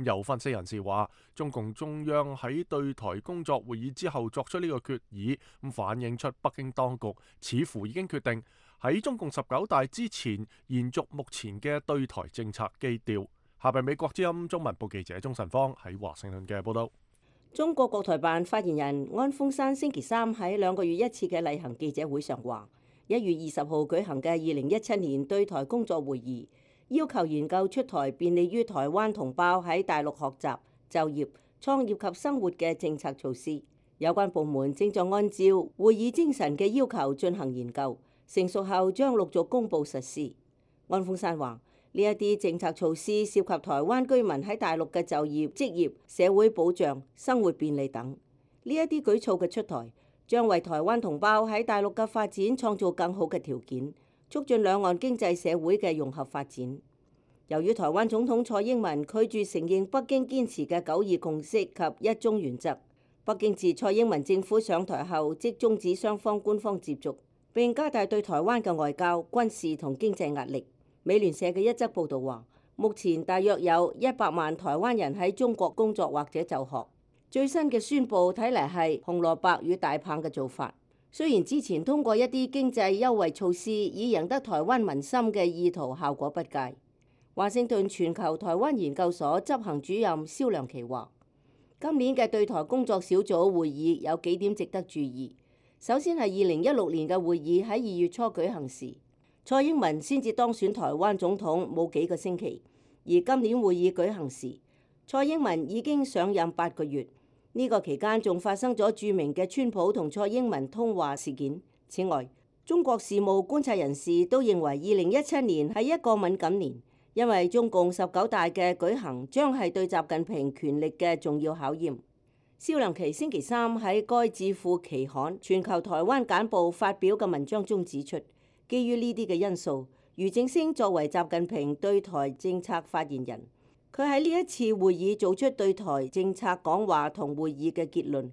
有分析人士話，中共中央喺對台工作會議之後作出呢個決議，咁反映出北京當局似乎已經決定喺中共19大之前延續目前嘅對台政策基調。下邊美國之音中文部記者鍾晨芳喺華盛頓嘅報道。中國國台辦發言人安峰山星期三喺2個月一次嘅例行記者會上話，1月20號舉行嘅2017年對台工作會議，要求研究出台便利於台灣同胞喺大陸學習、就業、創業及生活嘅政策措施。有關部門正在按照會議精神嘅要求進行研究，成熟後將陸續公佈實施。安峰山話：呢一啲政策措施涉及台灣居民喺大陸嘅就業、職業、社會保障、生活便利等。呢一啲舉措嘅出台，將為台灣同胞喺大陸嘅發展創造更好嘅條件，促進兩岸經濟社會嘅融合發展。由於台灣總統蔡英文拒絕承認北京堅持嘅9·2共識及一中原則，北京自蔡英文政府上台後即終止雙方官方接觸，並加大對台灣嘅外交、軍事同經濟壓力。美聯社嘅一則報導話，目前大約有100萬台灣人喺中國工作或者就學。最新嘅宣佈睇嚟係紅蘿蔔與大棒嘅做法。雖然之前通過一啲經濟優惠措施以贏得台灣民心嘅意圖效果不佳。華盛頓全球台灣研究所執行主任蕭良琪話，今年嘅對台工作小組會議有幾點值得注意。首先係2016年嘅會議喺2月初舉行時，蔡英文先至當選台灣總統冇幾個星期，而今年會議舉行時，蔡英文已經上任8個月。呢個期間仲發生咗著名嘅川普同蔡英文通話事件。此外，中國事務觀察人士都認為2017年係一個敏感年，因為中共19大嘅舉行將係對習近平權力嘅重要考驗。蕭良琪星期三喺該智庫期刊《全球台灣簡報》發表嘅文章中指出，基於呢啲嘅因素，俞正聲作為習近平對台政策發言人，佢喺呢一次會議做出對台政策講話同會議嘅結論，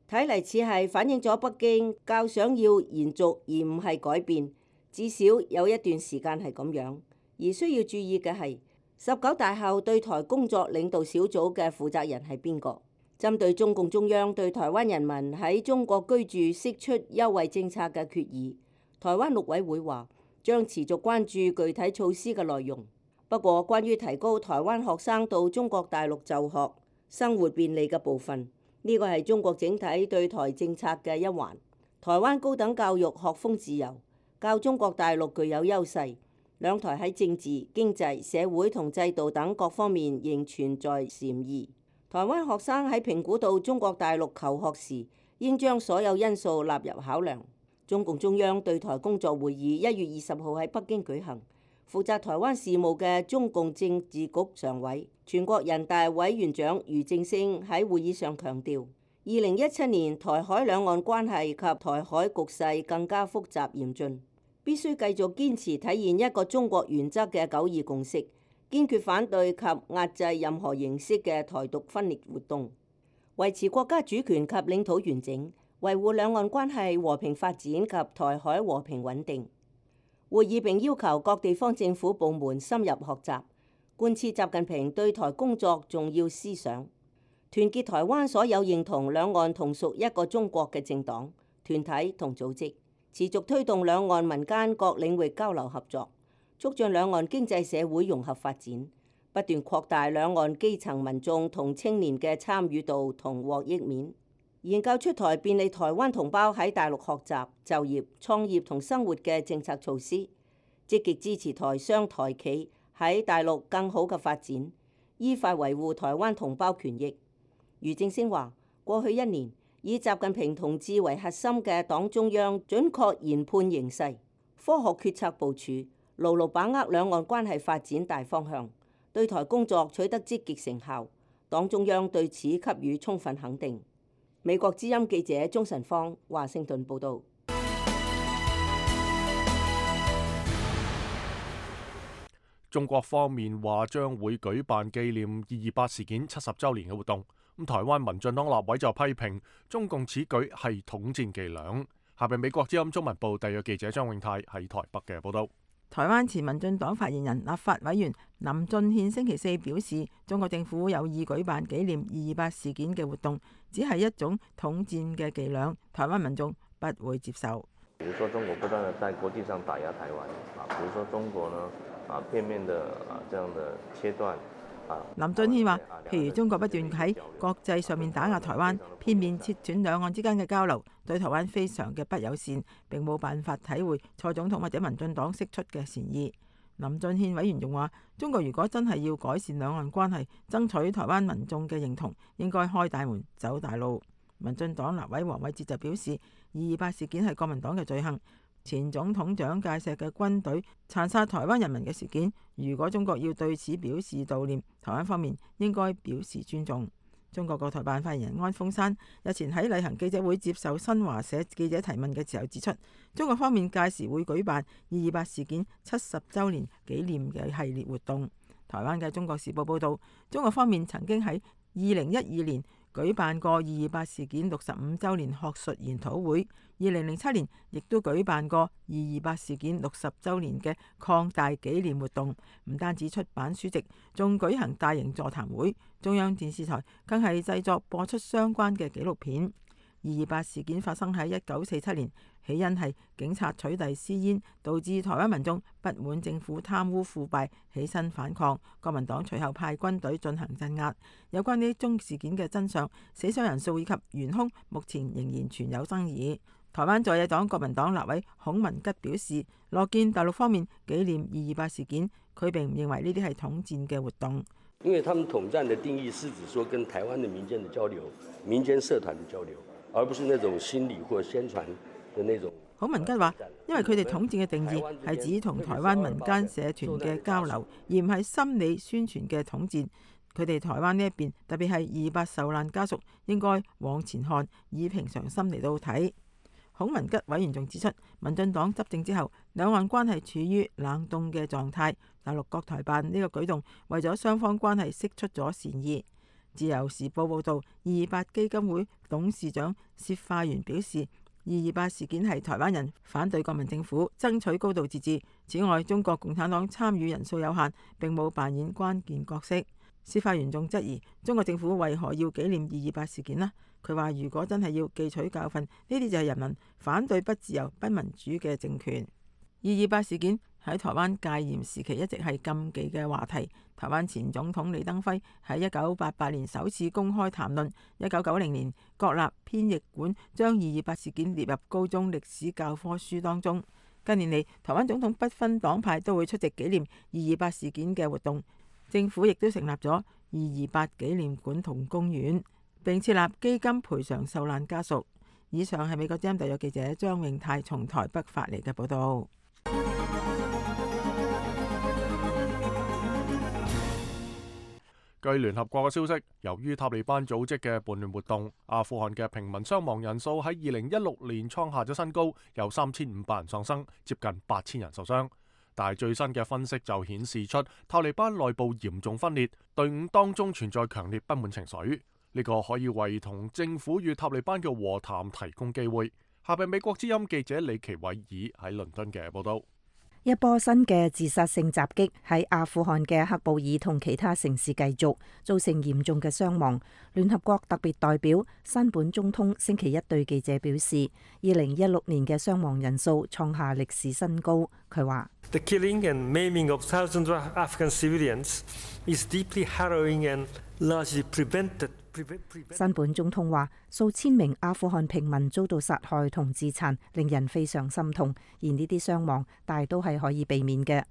睇嚟似係反映咗北京較想要延續而唔係改變，至少有一段時間係咁樣。而需要注意嘅係19大後對台工作領導小組嘅負責人係邊個？針對中共中央對台灣人民喺中國居住釋出優惠政策嘅決議，台灣陸委會話將持續關注具體措施嘅內容。不過，關於提高台灣學生到中國大陸就學、生活便利嘅部分，呢個係中國整體對台政策嘅一環。台灣高等教育學風自由，較中國大陸具有優勢。兩台喺政治、經濟、社會同制度等各方面仍存在嫌異。台灣學生喺評估到中國大陸求學時，應將所有因素納入考量。中共中央對台工作會議1月20號喺北京舉行，負責台灣事務嘅中共政治局常委、全國人大委員長俞正聲喺會議上強調，2017年台海兩岸關係及台海局勢更加複雜嚴峻。必須繼續堅持體現一個中國原則嘅九二共識，堅決反對及壓制任何形式嘅台獨分裂活動，維持國家主權及領土完整，維護兩岸關係和平發展及台海和平穩定。會議並要求各地方政府部門深入學習，貫徹習近平對台工作重要思想，團結台灣所有認同兩岸同屬一個中國嘅政黨、團體同組織，持續推動兩岸民間各領域交流合作，促進兩岸經濟社會融合發展，不斷擴大兩岸基層民眾同青年嘅參與度同獲益面，研究出台便利台灣同胞喺大陸學習、就業、創業同生活嘅政策措施，積極支持台商台企喺大陸更好嘅發展，依法維護台灣同胞權益。俞正聲話：過去一年，以習近平同志為核心嘅黨中央準確研判形勢，科學決策部署，牢牢把握兩岸關係發展大方向，對台工作取得積極成效。黨中央對此給予充分肯定。美國之音記者鍾晨芳華盛頓報導。中國方面話將會舉辦紀念228事件70週年嘅活動。台灣民進黨立委就批評中共此舉係統戰伎倆。下邊美國之音中文部特約記者張永泰喺台北嘅報導。台灣前民進黨發言人、立法委員林俊憲星期四表示，中國政府有意舉辦紀念228事件嘅活動，只係一種統戰嘅伎倆，台灣民眾不會接受。比如說中國不斷地在國際上打壓台灣，比如說中國呢片面的這樣的切斷。林俊憲話，譬如中國不斷喺國際上面打壓台灣，片面切斷兩岸之間嘅交流，對台灣非常嘅不友善，並冇辦法體會蔡總統或者民進黨釋出嘅善意。林俊憲委員仲話，中國如果真係要改善兩岸關係，爭取台灣民眾嘅認同，應該開大門走大路。民進黨立委黃偉哲就表示，228事件係國民黨嘅罪行。前總統蔣介石嘅軍隊殘殺台灣人民嘅事件，如果中國要對此表示悼念，台灣方面應該表示尊重。中國國台辦發言人安峰山日前喺例行記者會接受新華社記者提問嘅時候指出，中國方面屆時會舉辦228事件70週年紀念嘅系列活動。台灣嘅《中國時報》報導，中國方面曾經喺2012年舉辦過228事件65週年學術研討會，2007年亦都舉辦過228事件60週年嘅擴大紀念活動，唔單止出版書籍，仲舉行大型座談會，中央電視台更係製作播出相關嘅紀錄片。228事件發生喺1947年，起因係警察取締私煙，導致台灣民眾不滿政府貪污腐敗，起身反抗。國民黨隨後派軍隊進行鎮壓。有關呢宗事件嘅真相、死傷人數以及元兇，目前仍然存有爭議。台灣在野黨國民黨立委孔文吉表示，樂見大陸方面紀念228事件，佢並唔認為呢啲係統戰嘅活動。因為他們統戰的定義是指說跟台灣的民間的交流、民間社團的交流，而不是那種心理或宣傳的那種。孔文吉話，因為佢哋統戰嘅定義係指同台灣民間社團嘅交流，而唔係心理宣傳嘅統戰。佢哋台灣呢一邊，特別係228受難家屬，應該往前看，以平常心嚟到睇。孔文吉委員仲指出，民進黨執政之後，兩岸關係處於冷凍嘅狀態。大陸國台辦呢個舉動，為咗雙方關係釋出咗善意。自由時報報導，228基金會董事長薛化元表示，228事件係台灣人反對國民政府，爭取高度自治。此外，中國共產黨參與人數有限，並冇扮演關鍵角色。薛化元仲質疑中國政府為何要紀念228事件呢？佢話：如果真係要記取教訓，呢啲就係人民反對不自由、不民主嘅政權。228事件喺台灣戒嚴時期一直係禁忌嘅話題。台灣前總統李登輝喺1988年首次公開談論，1990年國立編譯館將228事件列入高中歷史教科書當中。近年嚟，台灣總統不分黨派都會出席紀念228事件嘅活動，政府亦都成立咗228紀念館同公園，並設立基金賠償受難家屬。以上係美國之音特約記者張永泰從台北發嚟嘅報道。據聯合國嘅消息，由於塔利班組織嘅叛亂活動，阿富汗嘅平民傷亡人數喺2016年創下咗新高，有3500人喪生，接近8000人受傷。但係最新嘅分析就顯示出塔利班內部嚴重分裂，隊伍當中存在強烈不滿情緒。呢個可以為同政府與塔利班嘅和談提供機會。下邊美國之音記者李奇偉爾喺倫敦嘅報道。一波新嘅自殺性襲擊喺阿富汗嘅喀布爾同其他城市繼續，造成嚴重嘅傷亡。聯合國特別代表山本忠通星期一對記者表示，2016年嘅傷亡人數創下歷史新高。佢話：The killing and maiming of thousands of Afghan civilians is deeply harrowing and largely prevented。山本總統話：數千名阿富汗平民遭到殺害同自殘，令人非常心痛。而呢啲傷亡大都係可以避免嘅。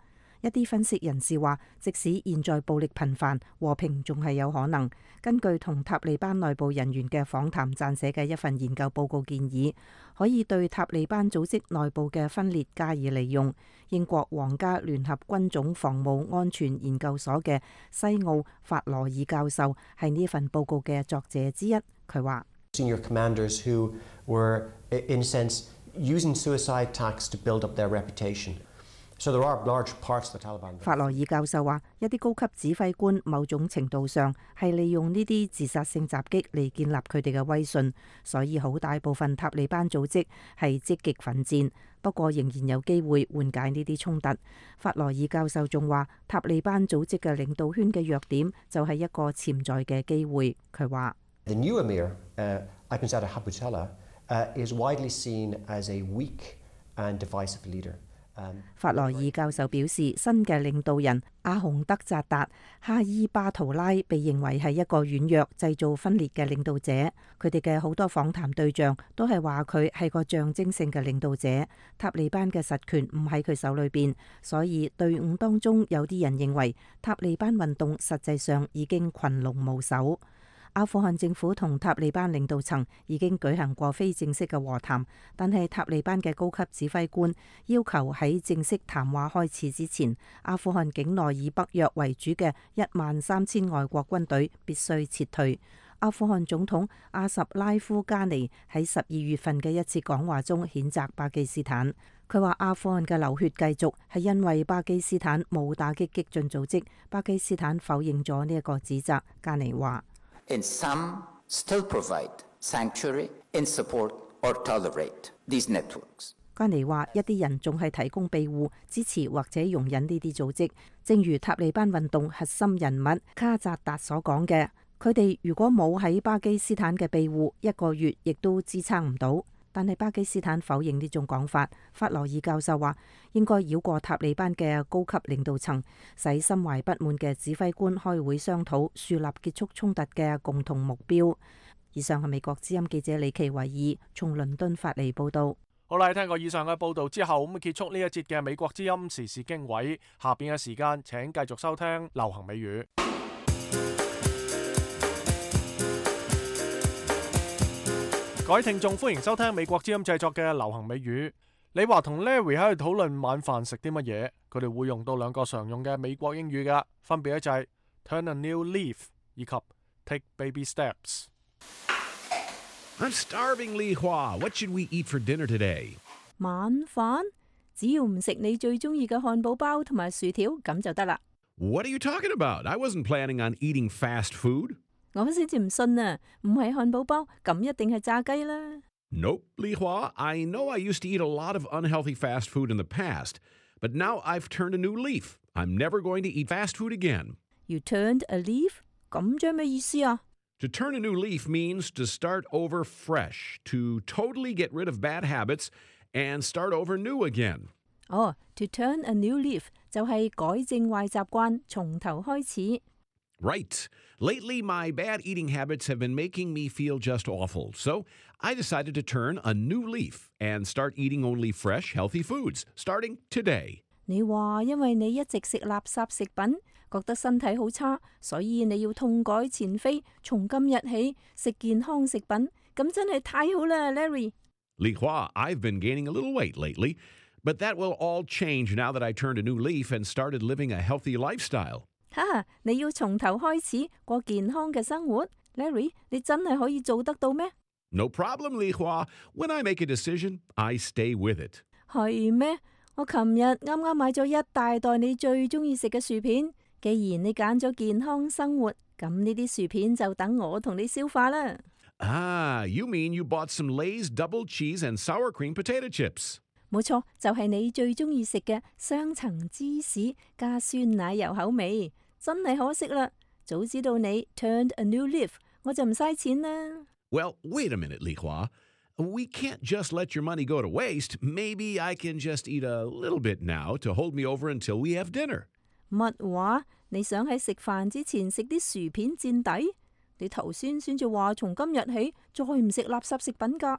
一啲分析人士話，即使現在暴力頻繁，和平仲係有可能。根據同塔利班內部人員嘅訪談撰寫嘅一份研究報告建議，可以對塔利班組織內部嘅分裂加以利用。英國皇家聯合軍種防務安全研究所嘅西奧法羅爾教授係呢份報告嘅作者之一。佢話：Senior commanders who were, in a sense, using suicide attacks to build up their reputation. 法羅爾教授話：一啲高級指揮官某種程度上係利用呢啲自殺性襲擊嚟建立佢哋嘅威信，所以好大部分塔利班組織係積極奮戰，不過仍然有機會緩解呢啲衝突。法羅爾教授仲話：塔利班組織嘅領導圈嘅弱點就係一個潛在嘅機會。佢話：The new emir, Ahmadzada Habutala, is widely seen as a weak and divisive leader. 法羅爾教授表示，新嘅領導人阿洪德扎達哈伊巴圖拉被認為係一個軟弱、製造分裂嘅領導者。佢哋嘅好多訪談對象都係話佢係個象徵性嘅領導者。塔利班嘅實權唔喺佢手裏邊，所以隊伍當中有啲人認為塔利班運動實際上已經群龍無首。阿富汗政府同塔利班領導層已經舉行過非正式嘅和談，但係塔利班嘅高級指揮官要求喺正式談話開始之前，阿富汗境內以北約為主嘅13000外國軍隊必須撤退。阿富汗總統阿什拉夫加尼喺12月份嘅一次講話中譴責巴基斯坦。佢話阿富汗嘅流血繼續係因為巴基斯坦冇打擊激進組織。巴基斯坦否認咗呢一個指責。加尼話：And some still provide sanctuary and support or tolerate these networks. 加尼話：一啲人仲係提供庇護、支持或者容忍呢啲組織，正如塔利班運動核心人物卡扎達所講嘅，佢哋如果冇喺巴基斯坦嘅庇護，1個月亦都支撐唔到。但係巴基斯坦否認呢種講法。法羅爾教授話：應該繞過塔利班嘅高級領導層，使心懷不滿嘅指揮官開會商討樹立結束衝突嘅共同目標。以上係美國之音記者李奇維爾從倫敦發嚟報道。好啦，聽過以上嘅報道之後，咁結束呢一節嘅美國之音時事經緯。下邊嘅時間請繼續收聽流行美語。各位聽眾，歡迎收聽美國之音製作嘅流行美語。李華同 Larry 喺度討論晚飯食啲乜嘢，佢哋會用到兩個常用嘅美國英語㗎，分別咧就係 turn a new leaf 以及 take baby steps。 I'm starving, Li Hua. What should we eat for dinner today? 晚飯只要唔食你最中意嘅漢堡包同埋薯條咁就得啦。What are you talking about? I wasn't planning on eating fast food. 我先至唔信啊！唔係漢堡包，咁一定係炸雞啦。Nope, Li Hua. I know I used to eat a lot of unhealthy fast food in the past, but now I've turned a new leaf. I'm never going to eat fast food again. You turned a leaf? 咁即係咩意思啊？ To turn a new leaf means to start over fresh, to totally get rid of bad habits and start over new again. 哦， to turn a new leaf 就係改正壞習慣，從頭開始。Right. Lately, my bad eating habits have been making me feel just awful. So I decided to turn a new leaf and start eating only fresh, healthy foods, starting today. 你話因為你一直食垃圾食品，覺得身體好差，所以你要痛改前非，從今日起食健康食品，咁真係太好啦 ，Larry。Li Hua, I've been gaining a little weight lately, but that will all change now that I turned a new leaf and started living a healthy lifestyle. 哈，你要從頭開始過健康嘅生活 ，Larry， 你真係可以做得到咩？ No problem, Li Hua. When I make a decision, I stay with it. 係咩？我琴日啱啱買咗一大袋你最中意食嘅薯片。既然你揀咗健康生活，咁呢啲薯片就等我同你消化啦。Ah, you mean you bought some Lay's double cheese and sour cream potato chips? 冇錯，就係你最中意食嘅雙層芝士加酸奶油口味，真係可惜啦！早知道你 turned a new leaf， 我就唔嘥錢啦。Well, wait a minute, Li Hua. We can't just let your money go to waste. Maybe I can just eat a little bit now to hold me over until we have dinner. 乜話？你想喺食飯之前食啲薯片墊底？你頭先至話從今日起再唔食垃圾食品㗎。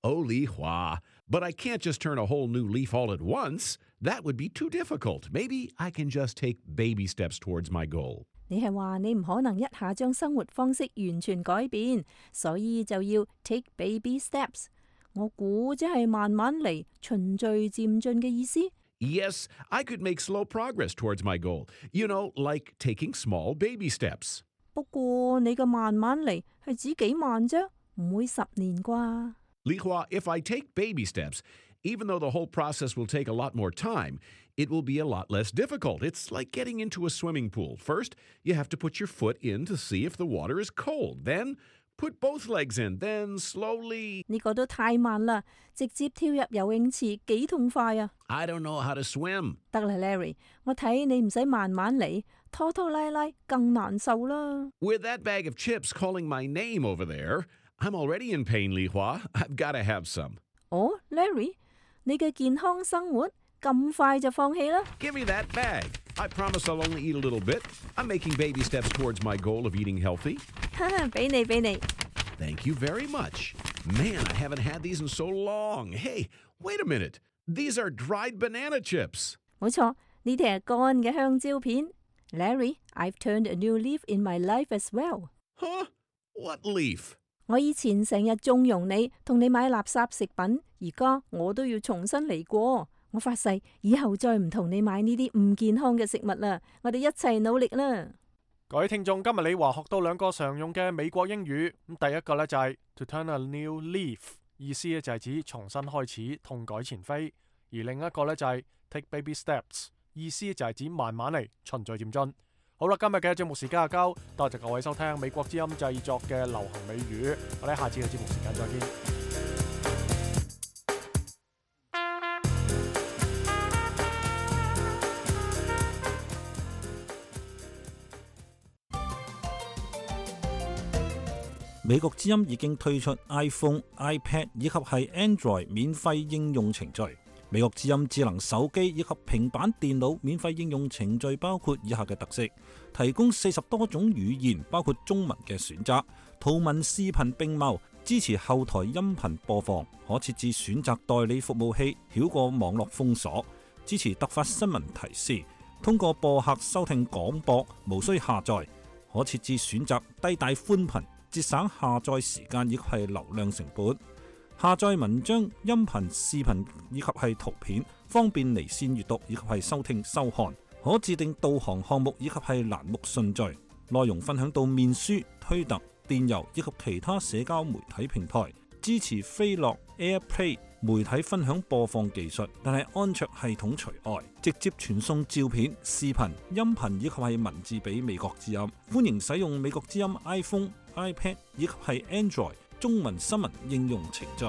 Oh, Li Hua, but I can't just turn a whole new leaf all at once. That would be too difficult. Maybe I can just take baby steps towards my goal. 你係話你唔可能一下將生活方式完全改變，所以就要 take baby steps。我估即係慢慢嚟，循序漸進嘅意思。Yes, I could make slow progress towards my goal. You know, like taking small baby steps. 不過你嘅慢慢嚟係指幾慢啫，唔會10年啩。Li Hua, if I take baby steps, even though the whole process will take a lot more time, it will be a lot less difficult. It's like getting into a swimming pool. First, you have to put your foot in to see if the water is cold. Then, put both legs in. Then, slowly... 呢個都太慢啦，直接跳入游泳池幾痛快啊 I don't know how to swim. 得啦 Larry， 我睇你唔使慢慢嚟，拖拖拉拉更難受啦。With that bag of chips calling my name over there, I'm already in pain, Li Hua. I've got to have some. 哦 Larry， 你嘅健康生活咁快就放棄啦 Give me that bag. I promise I'll only eat a little bit. I'm making baby steps towards my goal of eating healthy. 俾你。Thank you very much. Man, I haven't had these in so long. Hey, wait a minute. These are dried banana chips. 冇錯，呢啲係乾嘅香蕉片。Larry, I've turned a new leaf in my life as well. Huh? What leaf? 我以前成日縱容你，同你買垃圾食品，而家我都要重新嚟過。我發誓，以後再唔同你買呢啲唔健康嘅食物啦。我哋一齊努力啦！各位聽眾，今日李華學到2個常用嘅美國英語。咁第一個呢就係 to turn a new leaf， 意思呢就係指重新開始，痛改前非；而另一個呢就係 take baby steps， 意思就係指慢慢嚟，循序漸進。好啦，今日嘅節目時間就夠，多謝各位收聽美國之音製作嘅流行美語，我哋下次嘅節目時間再見。美國之音已經推出 iPhone、iPad 以及係 Android 免費應用程序。美國之音智能手機以及平板電腦免費應用程序包括以下嘅特色：提供40多種語言，包括中文嘅選擇，圖文視頻並茂，支持後台音頻播放，可設置選擇代理服務器，繞過網絡封鎖，支持突發新聞提示，通過播客收聽廣播，無需下載，可設置選擇低帶寬頻，節省下載時間以及係流量成本。下載文章、音頻、視頻以及係圖片，方便離線閱讀以及係收聽收看。可自定導航項目以及係欄目順序。內容分享到面書、推特、電郵以及其他社交媒體平台。支持飛樂、AirPlay 媒體分享播放技術，但係安卓系統除外。直接傳送照片、視頻、音頻以及係文字俾美國之音。歡迎使用美國之音 iPhone、iPad 以及係 Android中文新聞應用程序。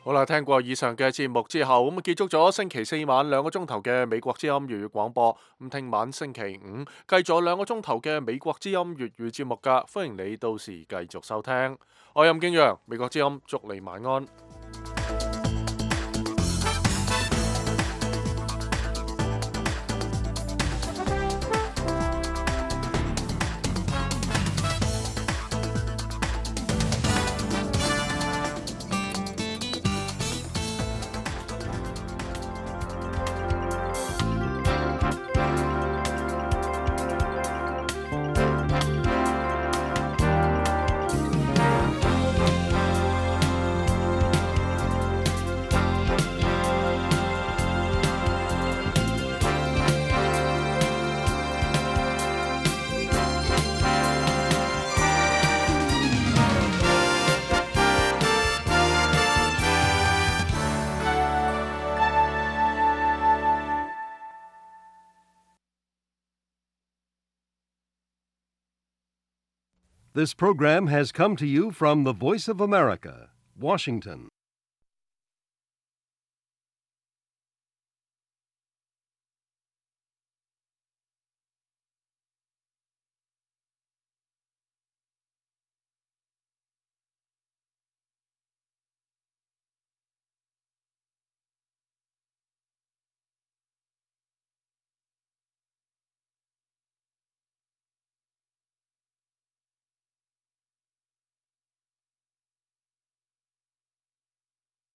好啦，聽過以上嘅節目之後，咁結束咗星期4晚2個鐘頭嘅美國之音粵語廣播。咁聽晚星期5繼續2個鐘頭嘅美國之音粵語節目㗎，歡迎你到時繼續收聽。我係任敬陽，美國之音，祝你晚安。This program has come to you from the Voice of America, Washington.